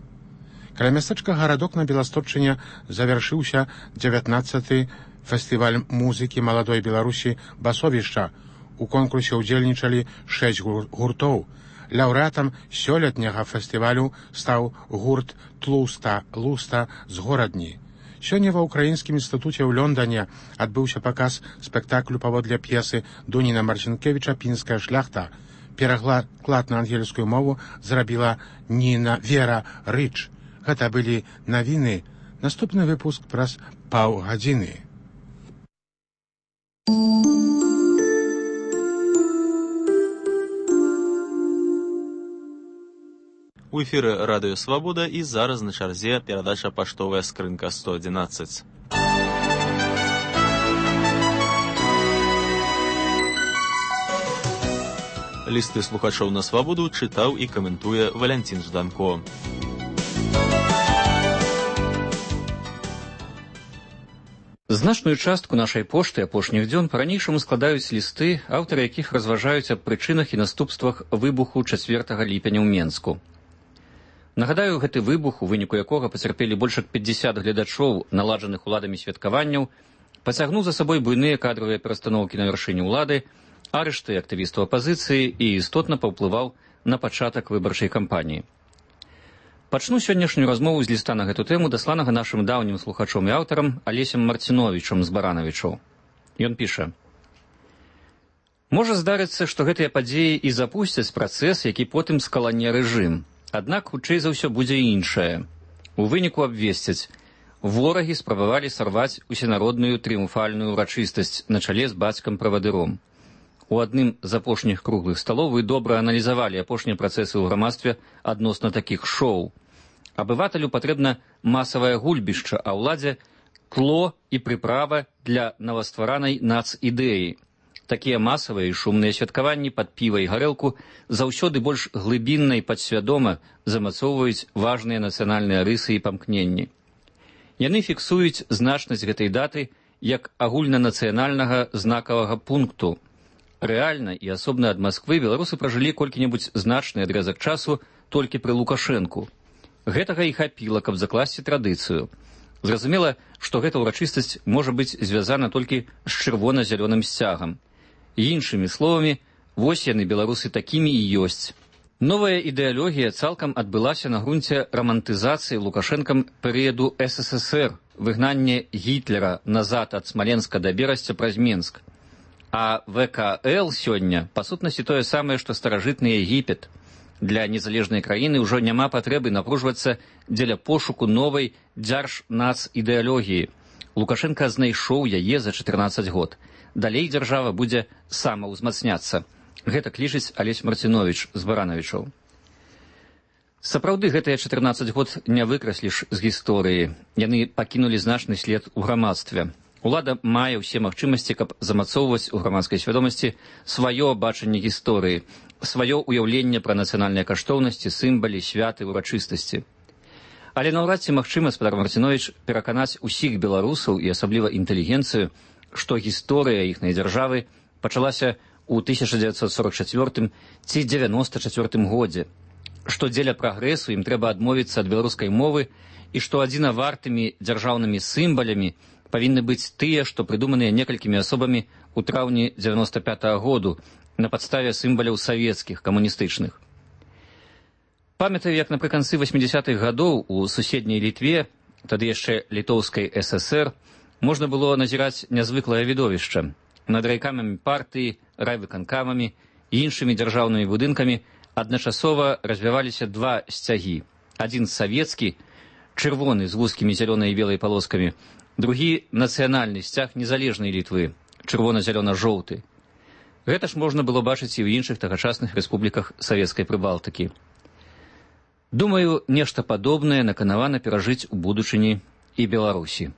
Speaker 5: Каля мястэчка Гарадок на Беласточчыне завяршыўся дзевятнаццаты фестываль музыкі маладой Беларусі «Басовішча». У конкурсе ўдзельнічалі шэсць гуртоў. Лаўрэатам сёлетняга фестывалю стаў гурт «Тлуста Луста» з Горадні. Сёння ва ўкраінскім інстытуце ў Лондане адбыўся паказ спектаклю паводле п'есы Дуніна Марцінкевіча «Пінская шляхта». Пераклад на ангельскую мову зрабіла Ніна Вера Рыч. Гэта былі навіны. Наступны выпуск праз паўгадзіны.
Speaker 1: У эфіры радыё «Свабода» і зараз на чарзе перадача «Паштовая скрынка сто адзінаццаць». Лісты слухачоў на «Свабоду» чытаў і каментуе Валянцін Жданко.
Speaker 6: Значную частку нашай пошты апошніх дзён па-ранейшаму складаюць лісты, аўтары якіх разважаюць аб прычынах і наступствах выбуху чацвёртага ліпеня ў Менску. Нагадаю, гэты выбух, у выніку якога пацярпелі больш як пятьдесят гледачоў наладжаных уладамі святкаванняў, пацягнуў за сабой буйныя кадравыя перастаноўкі на вяршыні ўлады, арышты актывістаў апазіцыі і істотна паўплываў на пачатак выбарчай кампаніі. Пачну сённяшнюю размову з ліста на гэту тэму, дасланага нашым даўнім слухачом і аўтарам Алесем Марціновічам з Баранавічаў. Ён піша: «Можа здарыцца, што гэтыя падзеі і запусцяць працэс, які потым скалане рэжым. Аднак, хутчэй за ўсё будзе іншае. У выніку абвесцяць. Ворагі спрабавалі сарваць усенародную трыумфальную ўрачыстасць на чале з бацькам-правадыром. У адным з апошніх круглых сталоў вы добра аналізавалі апошнія працэсы ў грамадстве адносна такіх шоу. Абывателю патрэбна масавае гульбішча, а ўладзе тло і прыправа для новастваранай нац-ідэі. Такія масавыя і шумныя святкаванні пад піва і гарэлку заўсёды больш глыбінна і падсвядома замацоўваюць важныя нацыянальныя рысы і памкненні. Яны фіксуюць значнасць гэтай даты як агульнанацыянальнага знакавага пункту. Рэальна і асобна ад Масквы беларусы пражылі колькі-небудзь значны адрэзак часу толькі пры Лукашэнку. Гэтага і хапіла, каб закласці традыцыю. Зразумела, што гэта ўрачыстасць можа быць звязана толькі з чырвона-зялёным сцягам. Іншымі словамі, вось яны, беларусы, такімі і ёсць. Новая ідэалогія цалкам адбылася на грунце рамантызацыі Лукашэнкам перыяду эс эс эс эр, выгнанне Гітлера назад ад Смаленска да Берасця праз Менск. А вэ ка эл сёння, па сутнасці, тое самае, што старажытны Егіпет. Для незалежнай краіны ўжо няма патрэбы напружвацца дзеля пошуку новай дзяржнацыдэалогіі. Лукашенко знайшоў яе за чатырнаццаць год. Далей дзяржава будзе самаўзмацняцца. Гэта лічыць Алесь Марціновіч з Баранавічаў. Сапраўды, гэтыя чатырнаццаць год не выкрасліш з гісторыі. Яны пакінулі значны след у грамадстве. Улада мае ўсе магчымасці, каб замацоўваць у грамадскай свядомасці сваё бачанне гісторыі, сваё ўяўленне пра нацыянальныя каштоўнасці, сімвалы, святы, урачыстасці. Але наўрад ці магчыма, спадар Марціновіч, пераканаць усіх беларусаў і асабліва інтэлігенцыю, што гісторыя іхнай дзяржавы пачалася у тысяча дзевяцьсот сорок чацвёртым ці дзевяноста чацвёртым годзе, што дзеля прагрэсу ім трэба адмовіцца ад беларускай мовы і што адзінавартымі дзяржаўнымі сімвалямі павінны быць тыя, што прыдуманыя некалькімі асобамі ў траўні дзевяноста пятага году на падставе сімваляў савецкіх, камуністычных. Памятаю, як напрыканцы васьмідзясятых гадоў у суседняй Літве, тады яшчэ літоўскай эс эс эр, можна было назіраць нязвыклае відовішча. Над райкамамі партыі, райвыканкамамі і іншымі дзяржаўнымі будынкамі адначасова развіваліся два сцягі. Адзін савецкі, чырвоны з вузкімі зялёнай і белай палоскамі, другі нацыянальны сцяг незалежнай Літвы, чырвона-зялёна-жоўты. Гэта ж можна было бачыць і ў іншых тагачасных рэспубліках савецкай Прыбалтыкі. Думаю, нешта падобнае наканавана перажыць у будучыні і Беларусі.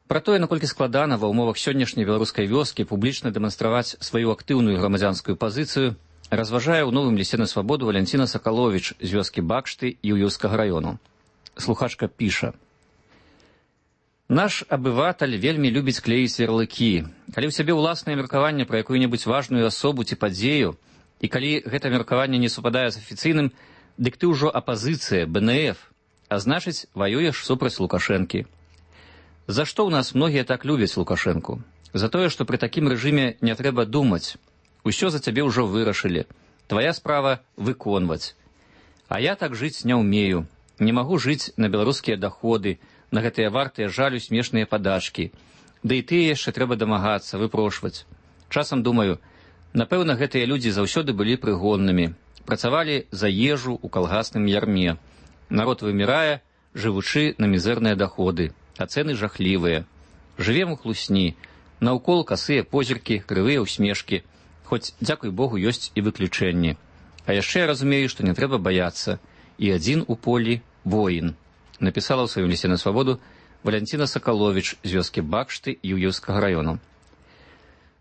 Speaker 6: Пра тое, наколькі складана ва ўмовах сённяшняй беларускай вёскі публічна дэманстраваць сваю актыўную грамадзянскую пазіцыю, разважае ў новым лісце на свабоду Валянціна Сакаловіч з вёскі Бакшты Юўёўскага раёну. Слухачка піша: «Наш абыватель вельмі любіць клеіць ярлыкі. Калі ў сябе ўласнае меркаванне пра якую-небудзь важную асобу ці падзею, і калі гэта меркаванне не супадае з афіцыйным, дык ты ўжо апазіцыя, бэ эн эф, а значыць, ваюеш супраць Лукашэнкі. За што ў нас многія так любяць Лукашэнку? За тое, што пры такім рэжыме не трэба думаць. Усё за цябе ўжо вырашылі. Твая справа выконваць. А я так жыць не ўмею. Не магу жыць на беларускія даходы, на гэтыя вартыя жалю смешныя падачкі. Да і тыя яшчэ трэба дамагацца, выпрошваць. Часам думаю, напэўна, гэтыя людзі заўсёды былі прыгоннымі. Працавалі за ежу ў калгасным ярме. Народ вымірае, жывучы на мізэрныя даходы. А цэны жахлівыя. Жывем у хлусні. Наўкол касыя позіркі, крывыя ўсмешкі. Хоць, дзякуй Богу, ёсць і выключэнні. А яшчэ я разумею, што не трэба баяцца. І адзін у полі воін. Напісала ў сваім лісце на свабоду Валянціна Сакаловіч з вёскі Бакшты Юўёўскага раёну.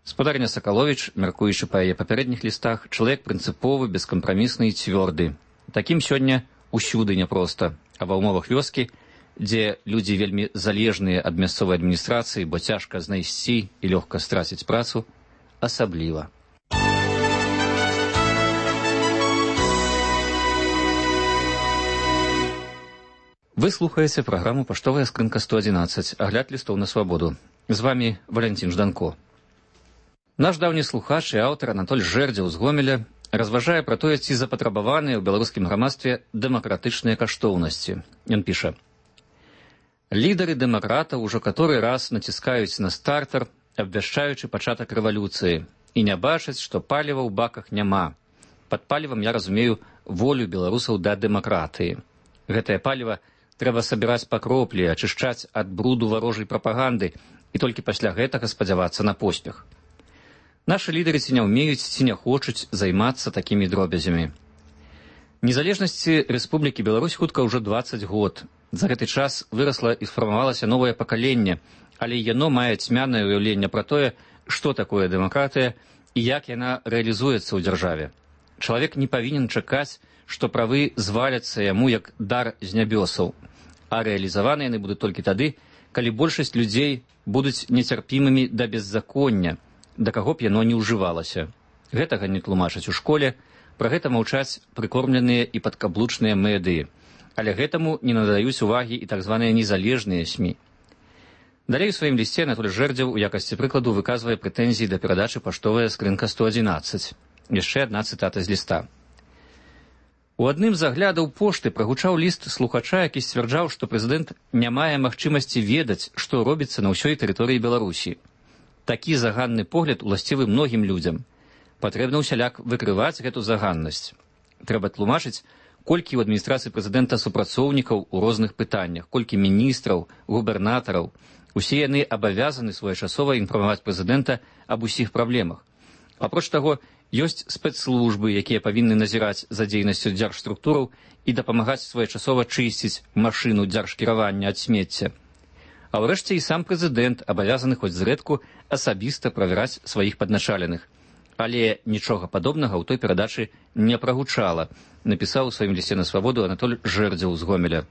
Speaker 6: Спадарня Сакаловіч, мяркуючы па яе папярэдніх лістах, чалавек прынцыповы, бескампрамісны і цвёрды. Такім сёння усюды няпроста, а ва ўмовах вёскі, дзе людзі вельмі залежныя ад мясцовай адміністрацыі, бо цяжка знайсці і лёгка страціць працу, асабліва. Вы слухаеце праграму «Паштовая скрынка сто адзінаццаць», агляд лістоў на свабоду. З вамі Валянцін Жданко. Наш даўні слухач і аўтар Анатоль Жэрдзеў з Гомеля разважае пра тое, ці запатрабаваныя ў беларускім грамадстве дэмакратычныя каштоўнасці. Ён піша: «Лідары дэмакратаў ужо каторы раз націскаюць на стартер, абвяшчаючы пачатак рэвалюцыі, і не бачаць, што паліва ў баках няма. Пад палівам я разумею волю беларусаў да дэмакратыі. Гэтае паліва трэба сабіраць па кроплі, ачышчаць ад бруду варожай прапаганды і толькі пасля гэтага спадзявацца на поспех. Нашы лідары ці не ўмеюць, ці не хочуць займацца такімі дробязямі. Незалежнасці Рэспублікі Беларусь хутка ўжо дваццаць год. За гэты час вырасла і сфармавалася новае пакаленне, але яно мае цьмянае ўяўленне пра тое, што такое дэмакратыя і як яна рэалізуецца ў дзяржаве. Чалавек не павінен чакаць, што правы зваляцца яму як дар з нябёсаў. А рэалізаваны яны будуць толькі тады, калі большасць людзей будуць нецярпімымі да беззаконня, да каго б яно не ўжывалася. Гэтага не тлумачаць у школе, пра гэта маўчаць прыкормленыя і падкаблучныя медыі. Але гэтаму не надаюць увагі і так званыя незалежныя СМІ. Далей у сваім лісце Анатоль Жэрдзеў у якасці прыкладу выказвае прэтэнзіі да перадачы паштовая скрынка сто адзінаццаць. Яшчэ адна цытата з ліста. У адным з аглядаў пошты прагучаў ліст слухача, які сцвярджаў, што прэзідэнт не мае магчымасці ведаць, што робіцца на ўсёй тэрыторыі Беларусі. Такі заганны погляд уласцівы многім людзям. Патрэбна ўсяляк выкрываць гэту заганнасць. Трэба тлумачыць, колькі ў адміністрацыі прэзідэнта супрацоўнікаў у розных пытаннях, колькі міністраў, губернатараў. Усе яны абавязаны своечасова інфармаваць прэзідэнта аб усіх праблемах. Апроч таго, ёсць спецслужбы, якія павінны назіраць за дзейнасцю дзяржструктураў і дапамагаць своечасова чысціць машыну дзяржкіравання ад смецця. А ўрэшце і сам прэзідэнт абавязаны хоць зрэдку асабіста правяраць сваіх падначаленых. Але нічога падобнага ў той перадачы не прагучала, напісаў у сваім лісце на свабоду Анатоль Жэрдзеў з Гомеля.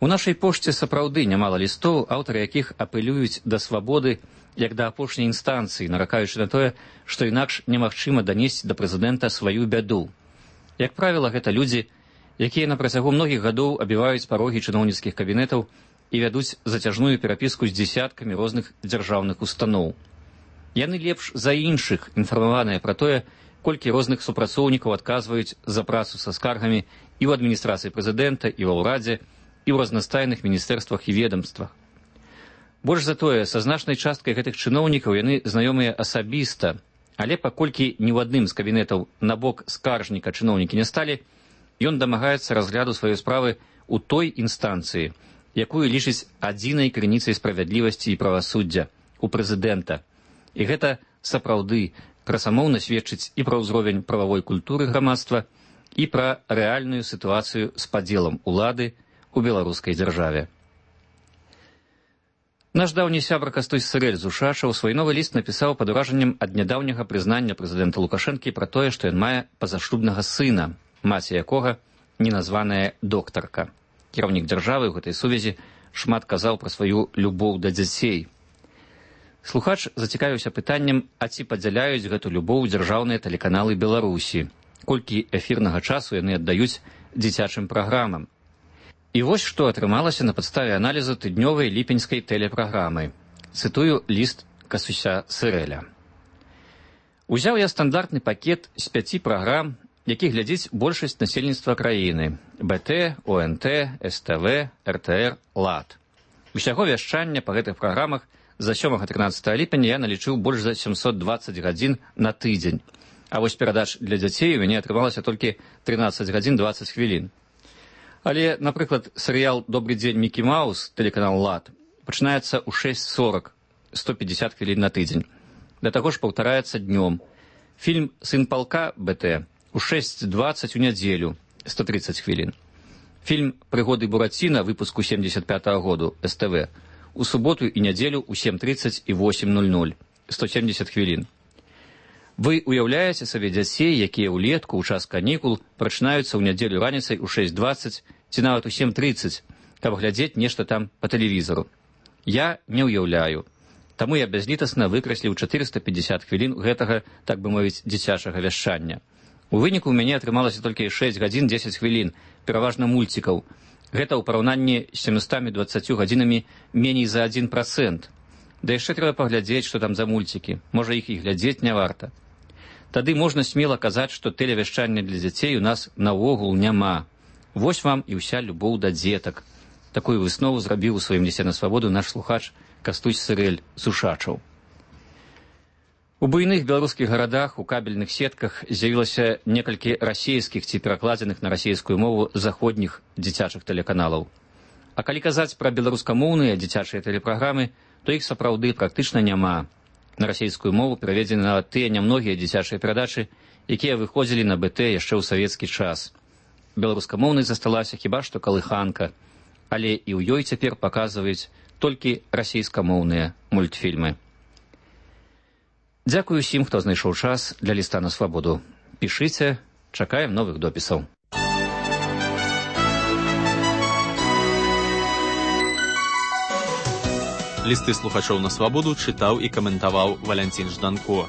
Speaker 6: У нашай пошце сапраўды нямала лістоў, аўтары якіх апелююць да свабоды як да апошняй інстанцыі, наракаючы на тое, што інакш немагчыма данесці да прэзідэнта сваю бяду. Як правіла, гэта людзі, якія на працягу многіх гадоў абіваюць парогі чыноўніцкіх кабінетаў і вядуць зацяжную перапіску з дзесяткамі розных дзяржаўных устаноў. Яны лепш за іншых інфармаваныя пра тое, колькі розных супрацоўнікаў адказваюць за працу са скаргамі і ў адміністрацыі прэзідэнта, і ва ўрадзе, і ў разнастайных міністэрствах і ведамствах. Больш за тое, са значнай часткай гэтых чыноўнікаў яны знаёмыя асабіста, але паколькі ні ў адным з кабінетаў на бок скаржніка чыноўнікі не сталі, ён дамагаецца разгляду сваёй справы ў той інстанцыі, якую лічыць адзінай крыніцай справядлівасці і правасуддзя, у прэзідэнта. І гэта сапраўды красамоўна сведчыць і пра ўзровень прававой культуры грамадства, і пра рэальную сітуацыю з падзелам улады у беларускай дзяржаве. Наш даўні сябра Кастусь Сырэль з Ушачаў свой новы ліст напісаў пад уражаннем ад нядаўняга прызнання прэзідэнта Лукашэнкі пра тое, што ён мае пазашлюбнага сына, маці якога неназваная доктарка. Кіраўнік дзяржавы ў гэтай сувязі шмат казаў пра сваю любоў да дзяцей. Слухач зацікавіўся пытаннем, а ці падзяляюць гэту любоў дзяржаўныя тэлеканалы Беларусі, колькі эфірнага часу яны аддаюць дзіцячым праграмам. І вось што атрымалася на падставе аналізу тыднёвай ліпеньскай тэлепраграмы. Цытую ліст Кастуся Сырэля. Узяў я стандартны пакет з пяці праграм, які глядзіць большасць насельніцтва краіны: бэ тэ, о эн тэ, эс тэ вэ, эр тэ эр, лад. Усяго вяшчання па гэтых праграмах за сёмага-трынаццатага ліпеня я налічыў больш за сямсот дваццаць гадзін на тыдзень. А вось перадач для дзяцей у мяне атрымалася толькі трынаццаць гадзін дваццаць хвілін. Але, напрыклад, серыял «Добрый дзень, Мікі Маус», тэлеканал «Лад», пачынаецца ў шэсць сорак, сто пятьдесят хвілін на тыдзень. Да таго ж паўтараецца днём. Фільм «Сын палка» бэ тэ у шэсць дваццаць у нядзелю, сто тридцать хвілін. Фільм «Прыгоды Бураціна» выпуску семьдесят пятого году, эс тэ вэ, у суботу і нядзелю ў сем тридцать і восемь ноль ноль, сто семьдесят хвілін. Вы уяўляеце сабе дзяцей, якія ўлетку ў час канікул прачынаюцца ў нядзелю раніцай у шэсць дваццаць ці нават у сем тридцать, каб глядзець нешта там па тэлевізору. Я не ўяўляю. Таму я бязлітасна выкрасліў четыреста пятьдесят хвілін гэтага, так бы мовіць, дзіцячага вяшчання. У выніку ў мяне атрымалася толькі шэсць гадзін дзесяць хвілін, пераважна мульцікаў. Гэта ў параўнанні з сямістамі дваццаццю гадзінамі меней за адзін працэнт. Да яшчэ трэба паглядзець, што там за мульцікі. Можа, іх і глядзець не варта. Тады можна смела казаць, што тэлевяшчання для дзяцей у нас наогул няма. Вось вам і ўся любоў да дзетак. Такую выснову зрабіў у сваім лісце на свабоду наш слухач Кастусь Сырэль з Ушачаў. У буйных беларускіх гарадах у кабельных сетках з'явілася некалькі расійскіх ці перакладзеных на расійскую мову заходніх дзіцячых тэлеканалаў. А калі казаць пра беларускамоўныя дзіцячыя тэлепраграмы, то іх сапраўды практычна няма. На расійскую мову пераведзены нават тыя нямногія дзіцячыя перадачы, якія выходзілі на бэ тэ яшчэ ў савецкі час. Беларускамоўнай засталася хіба што калыханка, але і ў ёй цяпер паказваюць толькі расійскамоўныя мультфільмы. Дзякую усім, хто знайшоў час для ліста на свабоду. Пішыце, чакаем новых допісаў.
Speaker 1: Листы слухачоў на свабоду чытаў і каментаваў Валянцін Жданко.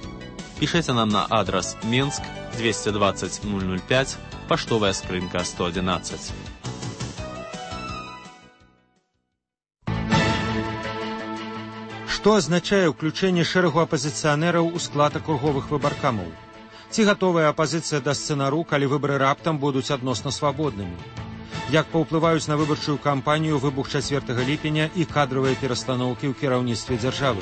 Speaker 1: Пішыце нам на адрас Менск двести двадцать ноль ноль пять, паштовая скрынка сто одиннадцать.
Speaker 19: Што азначае ўключэнне шэрагу апазіцыянераў у склад акруговых выбаркамаў? Ці гатовая апазіцыя да сцэнару, калі выбары раптам будуць адносна свабоднымі? Як паўплываюць на выбарчую кампанію выбух чацвёртага ліпеня і кадравыя перастаноўкі ў кіраўніцтве дзяржавы?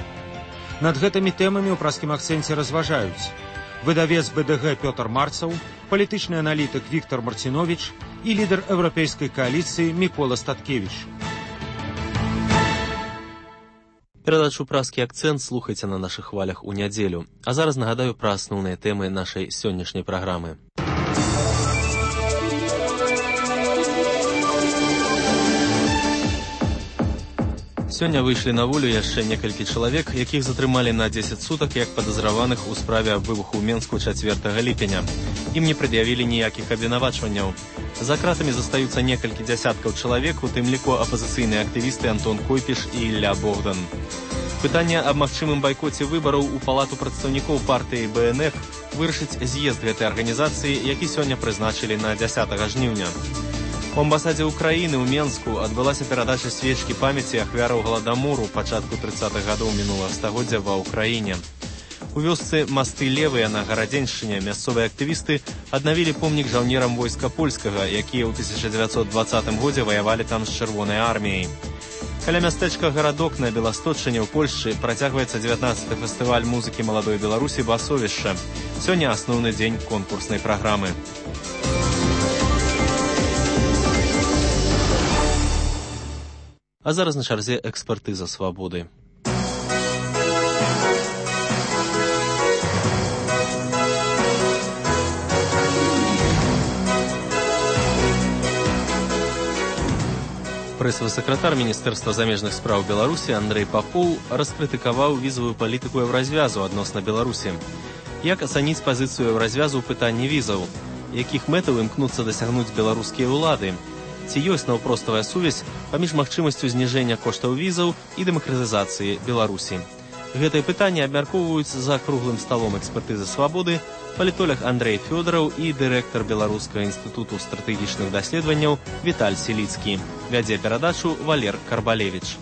Speaker 19: Над гэтымі тэмамі ў праскім акцэнце разважаюць выдавец бэ дэ гэ Пётр Марцаў, палітычны аналітык Віктор Марціновіч і лідар еўрапейскай кааліцыі Мікола Статкевіч.
Speaker 1: Перадачу «Праскі акцэнт» слухайце на нашых хвалях у нядзелю. А зараз нагадаю пра асноўныя тэмы нашай сённяшняй праграмы. Сёння выйшлі на волю яшчэ некалькі чалавек, якіх затрымалі на дзесяць сутак як падазраваных у справе аб выбуху ў Менску чацвёртага ліпеня. Ім не прад'явілі ніякіх абвінавачванняў. За кратамі застаюцца некалькі дзясяткаў чалавек, у тым ліку апазіцыйныя актывісты Антон Койпіш і Ілля Богдан. Пытанне аб магчымым байкоце выбараў у палату прадстаўнікоў партыі бэ эн эф вырашыць з'езд гэтай арганізацыі, які сёння прызначылі на дзясятага жніўня. У амбасадзе Украіны ў Менску адбылася перадача свечкі памяці ахвяраў галадамору пачатку трыццатых гадоў мінулага стагоддзя ва ўкраіне. У вёсцы Масты Левыя на Гарадзеншчыне мясцовыя актывісты аднавілі помнік жаўнерам войска польскага, якія ў тысяча дзевяцьсот дваццатым годзе ваявалі там з чырвонай арміяй. Каля мястэчка Гарадок на Беласточчыне ў Польшчы працягваецца дзевятнаццаты фестываль музыкі маладой Беларусі «Басовішча». Сёння асноўны дзень конкурснай праграмы. А зараз на чарзе экспертыза свабоды. Прэс-сакратар Міністэрства замежных спраў Беларусі Андрэй Папоў раскрытыкаваў візавую палітыку еўразвязу адносна Беларусі. Як ацаніць пазіцыю еўразвязу ў пытанні візаў? Якіх мэтаў імкнуцца дасягнуць беларускія ўлады? Ці ёсць наўпроставая сувязь паміж магчымасцю зніжэння коштаў візаў і дэмакратызацыі Беларусі? Гэтыя пытанні абмяркоўваюць за круглым сталом экспертызы свабоды палітолог Андрэй Фёдораў і дырэктар Беларускага інстытуту стратэгічных даследаванняў Віталь Селіцкі. Вядзе перадачу Валер Карбалевіч.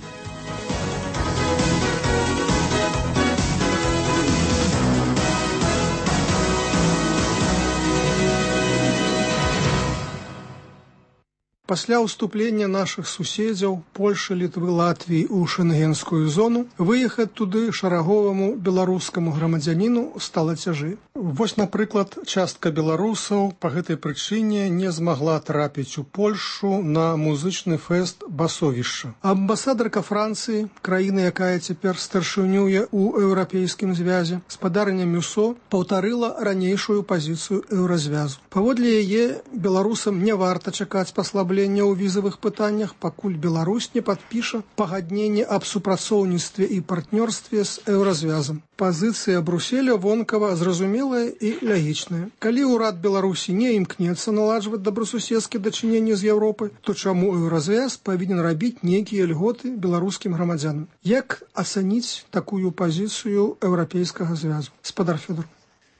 Speaker 7: Пасля ўступлення нашых суседзяў Польшы, Літвы, Латвіі ў шэнгенскую зону выехаць туды шараговаму беларускаму грамадзяніну стала цяжэй. Вось, напрыклад, частка беларусаў па гэтай прычыне не змагла трапіць у Польшу на музычны фэст «Басовішча». Амбасадарка Францыі, краіны, якая цяпер старшынюе ў еўрапейскім звязе, спадарня Мюсо паўтарыла ранейшую пазіцыю еўразвязу. Паводле яе беларусам не варта чакаць паслаблення ў візавых пытаннях, пакуль Беларусь не падпіша пагадненне аб супрацоўніцтве і партнёрстве з еўразвязам. Пазіцыя Брюсселя вонкава зразумелая і лагічная. Калі ўрад Беларусі не імкнецца наладжваць добрасуседскія дачыненні з Еўропай, то чаму еўразвяз павінен рабіць нейкія льготы беларускім грамадзянам? Як ацаніць такую пазіцыю еўрапейскага звязу? Спадар Фёдор.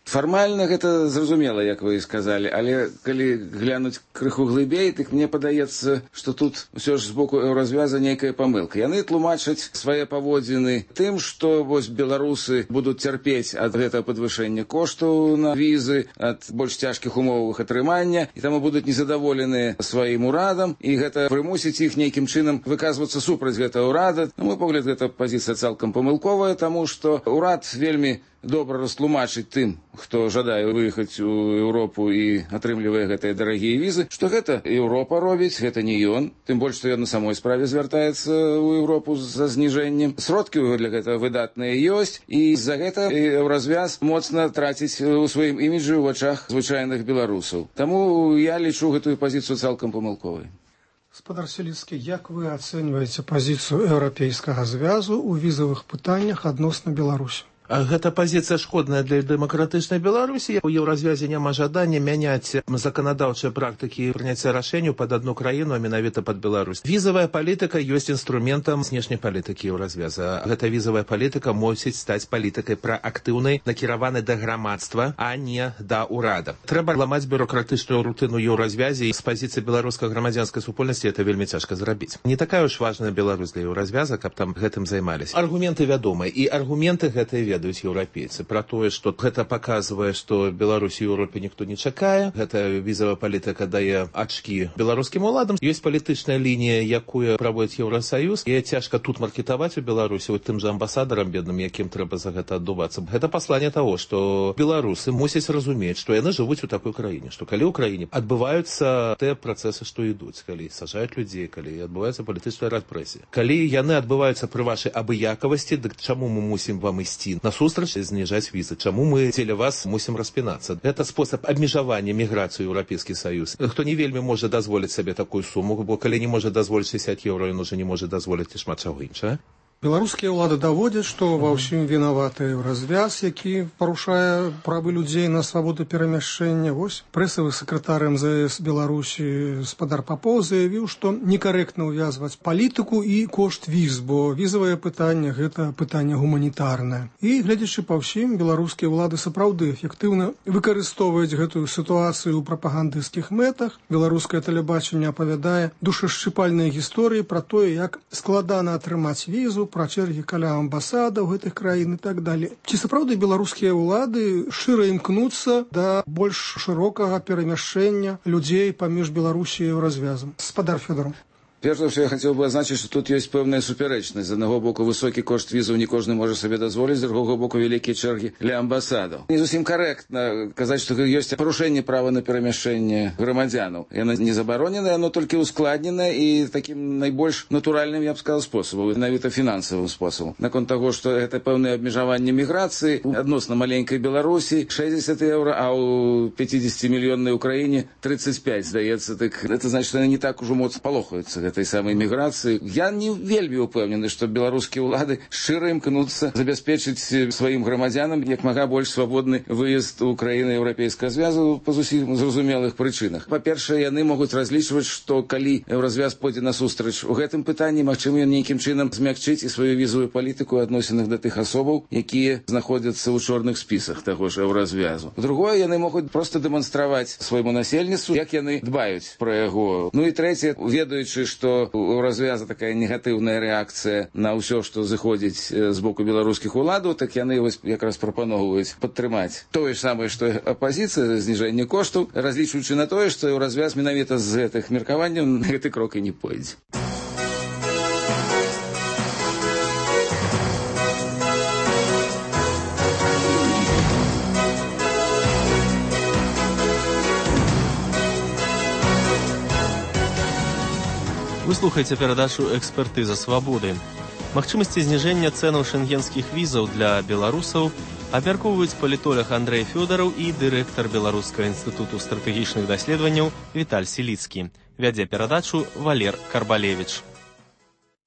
Speaker 8: Фармальна гэта зразумела, як вы і сказалі, але калі глянуць крыху глыбей, дык мне падаецца, што тут усё ж з боку еўразвяза нейкая памылка. Яны тлумачаць свае паводзіны тым, што вось беларусы будуць цярпець ад гэтага падвышэння коштаў на візы, ад больш цяжкіх умовах атрымання, і таму будуць незадаволеныя сваім урадам, і гэта прымусіць іх нейкім чынам выказвацца супраць гэтага ўрада. На мой погляд, гэта пазіцыя цалкам памылковая, таму што ўрад вельмі добра растлумачыць тым, хто жадае выехаць у Еўропу і атрымлівае гэтыя дарагія візы, што гэта Еўропа робіць, гэта не ён, тым больш, што ён на самой справе звяртаецца ў Еўропу за зніжэннем. Сродкі для гэтага выдатныя ёсць, і з-за гэта еўразвяз моцна траціць у сваім іміджы ў вачах звычайных беларусаў. Таму я лічу гэтую пазіцыю цалкам памылковай.
Speaker 7: Спадар Селіцкі, як вы ацэньваеце пазіцыю еўрапейскага звязу ў візавых пытаннях адносна Беларусі?
Speaker 9: Гэта пазіцыя шкодная для дэмакратычнай Беларусі. У еўразвязе няма жадання мяняць заканадаўчыя практыкі прыняцця рашэнняў пад адну краіну, а менавіта пад Беларусь. Візавая палітыка ёсць інструментам знешняй палітыкі еўразвяза. Гэта візавая палітыка мусіць стаць палітыкай праактыўнай, накіраванай да грамадства, а не да ўрада. Трэба ламаць бюрократычную рутыну еўразвязе, і з пазіцыі беларускай грамадзянскай супольнасці это вельмі цяжка зрабіць. Не такая уж важная Беларусь для еўразвяза, каб там гэтым займаліся. Аргументы вядомыя, і аргументы гэтыя ведаюць еўрапейцы пра тое, што гэта паказвае, што Беларусі ў Еўропе ніхто не чакае. Гэта візавая палітыка дае ачкі беларускім уладам. Ёсць палітычная лінія, якую праводзіць Еўрасаюз. І цяжка тут маркетаваць у Беларусі вот тым жа амбасадарам бедным, якім трэба за гэта аддувацца. Гэта пасланне таго, што беларусы мусяць разумець, што яны жывуць у такой краіне, што калі ў краіне адбываюцца тыя працэсы, што ідуць, калі сажаюць людзей, калі адбываецца палітычная рэпрэсія. Калі яны адбываюцца пры вашай абыякавасці, дык чаму мы мусім вам ісці насустрач і зніжаць візы? Чаму мы дзеля вас мусім распінацца? Гэта спосаб абмежавання міграцыі ў Еўрапейскі Саюз. Хто не вельмі можа дазволіць сабе такую суму, бо калі не можа дазволіць шэсцьдзесят еўра, ён уже не можа дазволіць і шмат чаго іншага.
Speaker 7: Беларускія ўлады даводзяць, што ва ўсім вінаваты еўразвяз, які парушае правы людзей на свабоду перамяшчэння. Вось прэсавы сакратар эм зэ эс Беларусі спадар Папоў заявіў, што некарэктна ўвязваць палітыку і кошт віз, бо візавае пытанне гэта пытанне гуманітарнае. І глядзячы па ўсім, беларускія ўлады сапраўды эфектыўна выкарыстоўваюць гэтую сітуацыю ў прапагандысцкіх мэтах. Беларускае тэлебачанне апавядае душашчыпальныя гісторыі пра тое, як складана атрымаць візу, пра чэргі каля амбасадаў гэтых краін і так далее. Ці сапраўды беларускія ўлады шчыра імкнуцца да больш шырокага перамяшчэння людзей паміж Беларусі і Еўразвязам? Спадар Фёдоров.
Speaker 8: Перш за ўсё, я хацеў бы адзначыць, што тут ёсць пэўная суперечнасць. З аднаго боку высокі кошт візаў не кожны можа сабе дазволіць, з другога боку вялікія чэргі ля амбасадаў. Не зусім карэктна казаць, што ёсць парушэнне права на перамяшчэнне грамадзянаў. Яно не забароненае, яно толькі ускладненае і такім найбольш натуральным, я б сказаў, спосабам, навіта фінансавым спосабам. Наконт таго, што гэта пэўнае абмежаванне міграцыі адносна маленькай Беларусі шэсцьдесят еўра, а ў пяцідзесяцімільённай Украіне тридцать пять, здаецца. Так гэта значыць, што яны не так ужо моцна палохаюцца этой самой міграцыі. Я не вельмі упэўнены, што беларускія ўлады шчыра імкнуцца забяспечыць сваім грамадзянам як мага больш свабодны выезд у краіны Еўрапейскага звязу па зусім зразумелых прычынах. Па-першае, яны могуць разлічваць, што калі еўразвяз пойдзе насустрач у гэтым пытанні, магчыма, ён нейкім чынам змякчыць і сваю візавую палітыку ў адносінах да тых асобаў, якія знаходзяцца ў чорных спісах таго ж еўразвязу. Другое, яны могуць проста дэманстраваць свайму насельніцтву, як яны дбаюць пра яго. Ну і трэцяе, ведаючы, што у развяза такая негатыўная рэакцыя на ўсё, што зыходзіць з боку беларускіх уладаў, так яны вось якраз прапаноўваюць падтрымаць тое ж самае, што апазіцыя, зніжэнне коштаў, разлічваючы на тое, што ў развяз менавіта з гэтых меркаванняў гэты крок і не пойдзе.
Speaker 1: Вы слухаеце перадачу «Экспертыза свабоды». Магчымасці зніжэння цэнаў шэнгенскіх візаў для беларусаў абмяркоўваюць палітолог Андрэй Фёдоров і дырэктар Беларускага інстытуту стратэгічных даследаванняў Віталь Сіліцкі. Вядзе перадачу Валер Карбалевіч.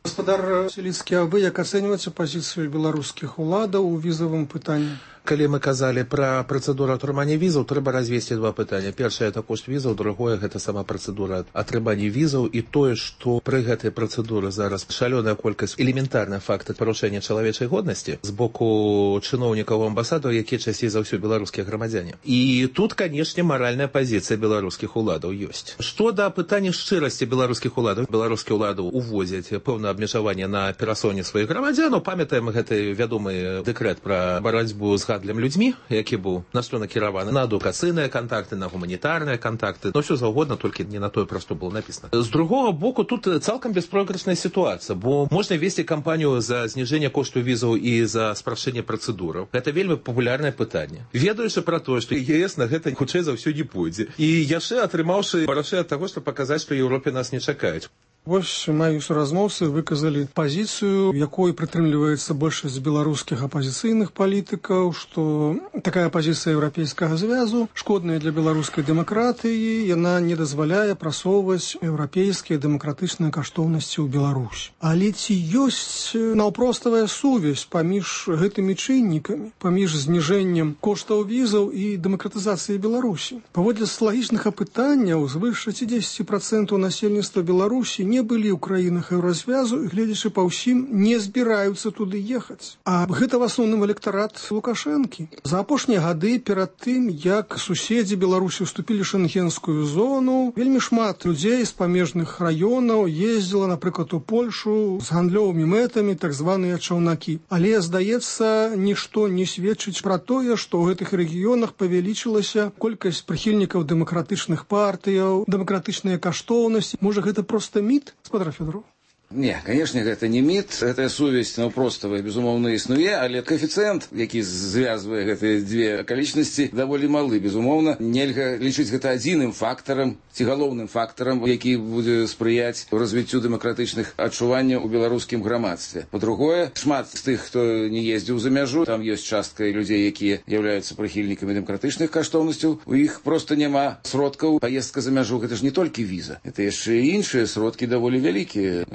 Speaker 7: Гаспадар Сіліцкі, а вы як ацэньваеце пазіцыю беларускіх уладаў у візавым пытанні?
Speaker 9: Калі мы казалі пра працэдуру атрымання візаў, трэба развесці два пытання. Першае – это кошт візаў, другое – гэта сама працэдура атрымання візаў і тое, што пры гэтай працэдуры зараз шалёная колькасць элементарных фактаў парушэння чалавечай годнасці з боку чыноўнікаў амбасадаў, якія часцей за ўсё беларускія грамадзяне. І тут, канешне, маральная пазіцыя беларускіх уладаў ёсць. Што да пытання шчырасці беларускіх уладаў, беларускія ўлады увозяць пэўнае абмежаванне на перасоўне сваіх грамадзянаў. Памятаем гэты вядомы дэкрэт пра барацьбу з гандлем людзьмі, які быў на што накіраваны на адукацыйныя кантакты, на гуманітарныя кантакты, но ўсё заўгодна, толькі не на тое проста было напісана. З другога боку, тут цалкам беспройгрышная сітуацыя, бо можна весці кампанію за зніжэнне кошту візаў і за спрашчэнне працэдураў. Гэта вельмі папулярнае пытанне. Ведаючы пра тое, што ЕС на гэта хутчэй за ўсё не пойдзе. І яшчэ атрымаўшы парашэй ад таго, што паказаць, што Еўропе нас не чакаюць.
Speaker 7: Вось мои суразмоўцы выказалі пазіцыю, якой прытрымліваецца большасць беларускіх апазіцыйных палітыкаў, што такая пазіцыя еўрапейскага звязу шкодная для беларускай дэмакратыі, яна не дазваляе прасоўваць еўрапейскія дэмакратычныя каштоўнасці ў Беларусь. Але ці ёсць наўпроставая сувязь паміж гэтымі чыннікамі, паміж зніжэннем коштаў візаў і дэмакратызацыяй Беларусі? Паводле соцыялагічных апытанняў, звыш шэсцьдзесят працэнтаў насельніцтва Беларусі не былі ў краінах еўразвязу і, гледзячы па ўсім, не збіраюцца туды ехаць. А гэта в асноўным электарат Лукашэнкі. За апошнія гады, перад тым, як суседзі Беларусі ўступілі ў шэнгенскую зону, вельмі шмат людзей з памежных раёнаў ездзіла, напрыклад, у Польшу з гандлёвымі мэтамі, так званыя чаўнакі. Але, здаецца, нішто не сведчыць пра тое, што ў гэтых рэгіёнах павялічылася колькасць прыхільнікаў дэмакратычных партыяў, дэмакратычныя каштоўнасці. Можа, гэта проста міт? Спадар Федоров.
Speaker 8: Не, конечно, гэта не міт, гэтая сувязь наўпроставая, безумоўна, існуе, але коэфіцыент, які звязвае гэтыя дзве акалічнасці, даволі малы, безумоўна. Нельга лічыць гэта адзіным фактарам, ці галоўным фактарам, які будзе спрыяць развіццю дэмакратычных адчуванняў у беларускім грамадстве. Па-другое, шмат з тых, хто не ездзіў за мяжу, там ёсць частка людзей, якія з'яўляюцца прыхільнікамі дэмакратычных каштоўнасцяў, у іх проста няма сродкаў. Паездка за мяжу, гэта ж не толькі віза, гэта яшчэ і іншыя сродкі даволі вялікія.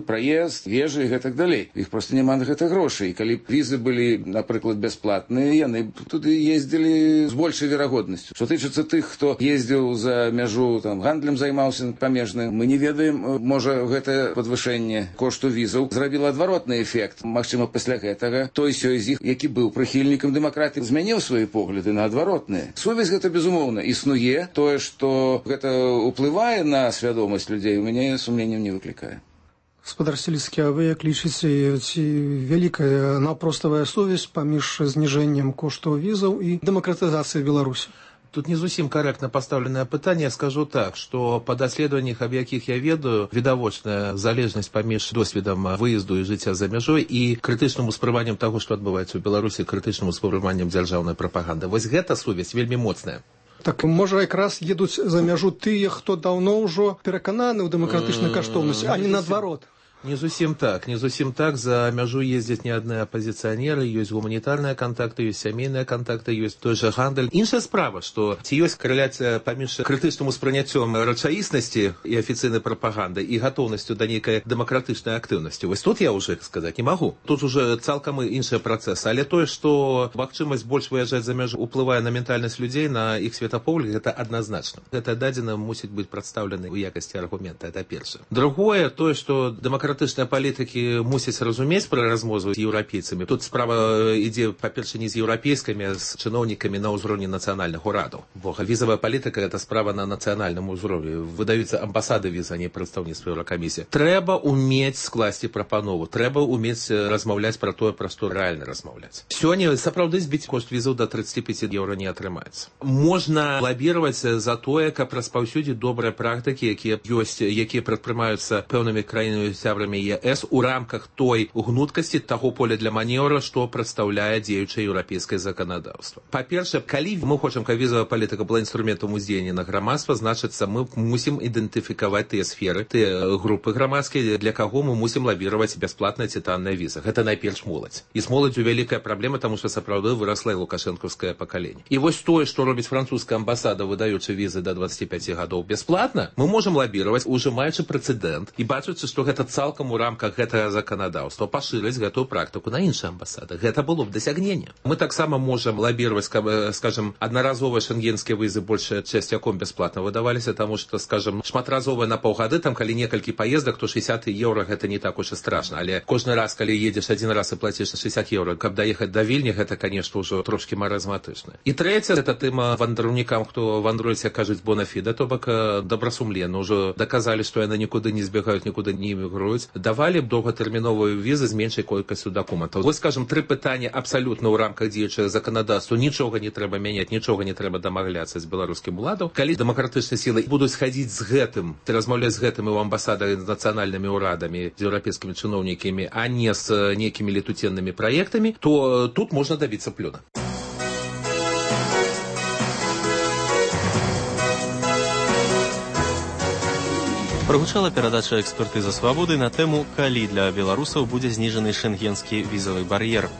Speaker 8: Праезд, ежа і гэтак далей. Іх проста няма на гэта грошай. І калі б візы былі, напрыклад, бясплатныя, яны б туды ездзілі з большай верагоднасцю. Што тычыцца тых, хто ездзіў за мяжу, там, гандлем займаўся памежным, мы не ведаем, можа, гэта падвышэнне кошту візаў зрабіла адваротны эфект. Магчыма, пасля гэтага той сёй з іх, які быў прыхільнікам дэмакратыі, змяніў свае погляды на адваротныя. Сувязь гэта, безумоўна, існуе. Тое, што гэта ўплывае на свядомасць людзей, у мяне сумненняў не выклікае.
Speaker 7: Спадар Селіцкі, а вы як лічыце, ці вялікая наўпроставая сувязь паміж зніжэннем коштаў візаў і дэмакратызацыяй Беларусі?
Speaker 9: Тут не зусім корректно поставленное пытанне. Я скажу так, что по даследованиях, об якіх я ведаю, відавочная залежнасць паміж досведам выезду і жыцця за мяжой і крытычным успрыманнем таго, што адбываецца ў Беларусі, крытычным успрыманнем дзяржаўнай прапаганды. Вось гэта сувязь вельмі моцная.
Speaker 7: Так, можа, якраз едуць за мяжу тыя, хто даўно ўжо перакананы ў дэмакратычнай каштоўнасці, а не наадварот.
Speaker 9: Не зусім так, не зусім так. За мяжу ездзяць не адны апазіцыянеры, ёсць гуманітарныя кантакты, ёсць сямейныя кантакты, ёсць той жа гандаль. Іншая справа, што ці ёсць карэляцыя паміж крытычным успрыняццём рэчаіснасці і афіцыйнай прапаганды і гатоўнасцю да нейкай дэмакратычнай актыўнасці. Вось тут я ўжо сказаць не магу. Тут уже цалкам іншыя працэсы. Але тое, што магчымасць больш выязджаць за мяжу уплывае на ментальнасць людзей, на іх светапогляд, гэта адназначна. Гэта дадзена мусіць быць прадстаўлены ў якасці аргумента, это першае. Другое, тое, што дэмакратычная дэмакратычныя палітыкі мусяць разумець пра размову з еўрапейцамі. Тут справа ідзе, па-перша, не з еўрапейскімі, а з чыноўнікамі на ўзроўні нацыянальных урадаў. Бо візавая палітыка – гэта справа на нацыянальным узроўні. Выдаюцца амбасады віз, а не прадстаўніцтва Еўракамісіі. Трэба ўмець скласці прапанову, трэба ўмець размаўляць пра тое, пра што рэальна размаўляць. Сёння сапраўды збіць кошт візаў да тридцати пяти еўра не атрымаецца. Можна лабіраваць за тое, каб распаўсюдзіць добрыя практыкі, якія ёсць, якія прадпрымаюцца пэўнымі краінамі сябрамі ЕС у рамках той гнуткасці таго поля для маневра, што прадстаўляе дзеючае еўрапейскае заканадаўства. Па-першае, калі мы хочам, каб візавая палітыка была інструментам уздзеяння на грамадства, значыцца, мы мусім ідэнтыфікаваць тыя сферы, тыя групы грамадскія, для каго мы мусім лабіраваць бясплатная ці танная віза. Гэта найперш моладзь. І з моладзю вялікая праблема, таму што сапраўды вырасла і лукашэнкаўскае пакаленне. І вось тое, што робіць французская амбасада, выдаючы візы да двадцати пяти гадоў бясплатна, мы можам лабіраваць, ужымаючы прэцэдэнт і бачачы, што гэта цалкам у рамках гэтага заканадаўства пашырыць гэтую практыку на іншыя амбасады. Гэта было б дасягненне. Мы таксама можам лабіраваць, скажем, аднаразовыя шэнгенскія візы большая часцяком бясплатна выдаваліся, таму што, скажем, шматразовыя на паўгады, там калі некалькі паездак, то шэсцьдзесят еўра гэта не так уж і страшна, але кожны раз, калі едзеш адзін раз і плаціш шэсцьдесят еўра, каб даехаць да Вільні, гэта, конечно, ўжо трошкі маразматычна. І трэцяе, гэта тэма вандраўнікам, хто вандруецца, кажуць, бонафіда, то бок добрасумленна, ўжо даказалі, што яны нікуды не збегаюць, нікуды не эмігруюць, давалі б доўгатэрміновую візы з меншай колькасцю дакументаў. Вось, скажем, тры пытання абсалютна ў рамках дзеючага заканадаўства, нічога не трэба мяняць, нічога не трэба дамагляцца з беларускім уладам. Калі дэмакратычныя сілы будуць хадзіць з гэтым, размаўляць з гэтым і ў амбасадах з нацыянальнымі ўрадамі, з еўрапейскімі чыноўнікамі, а не з нейкімі летуценнымі праектамі, то тут можна дабіцца плёна.
Speaker 1: Прагучала перадача экспертызы свабоды на тэму, калі для беларусаў будзе зніжаны шэнгенскі візавы бар'ер.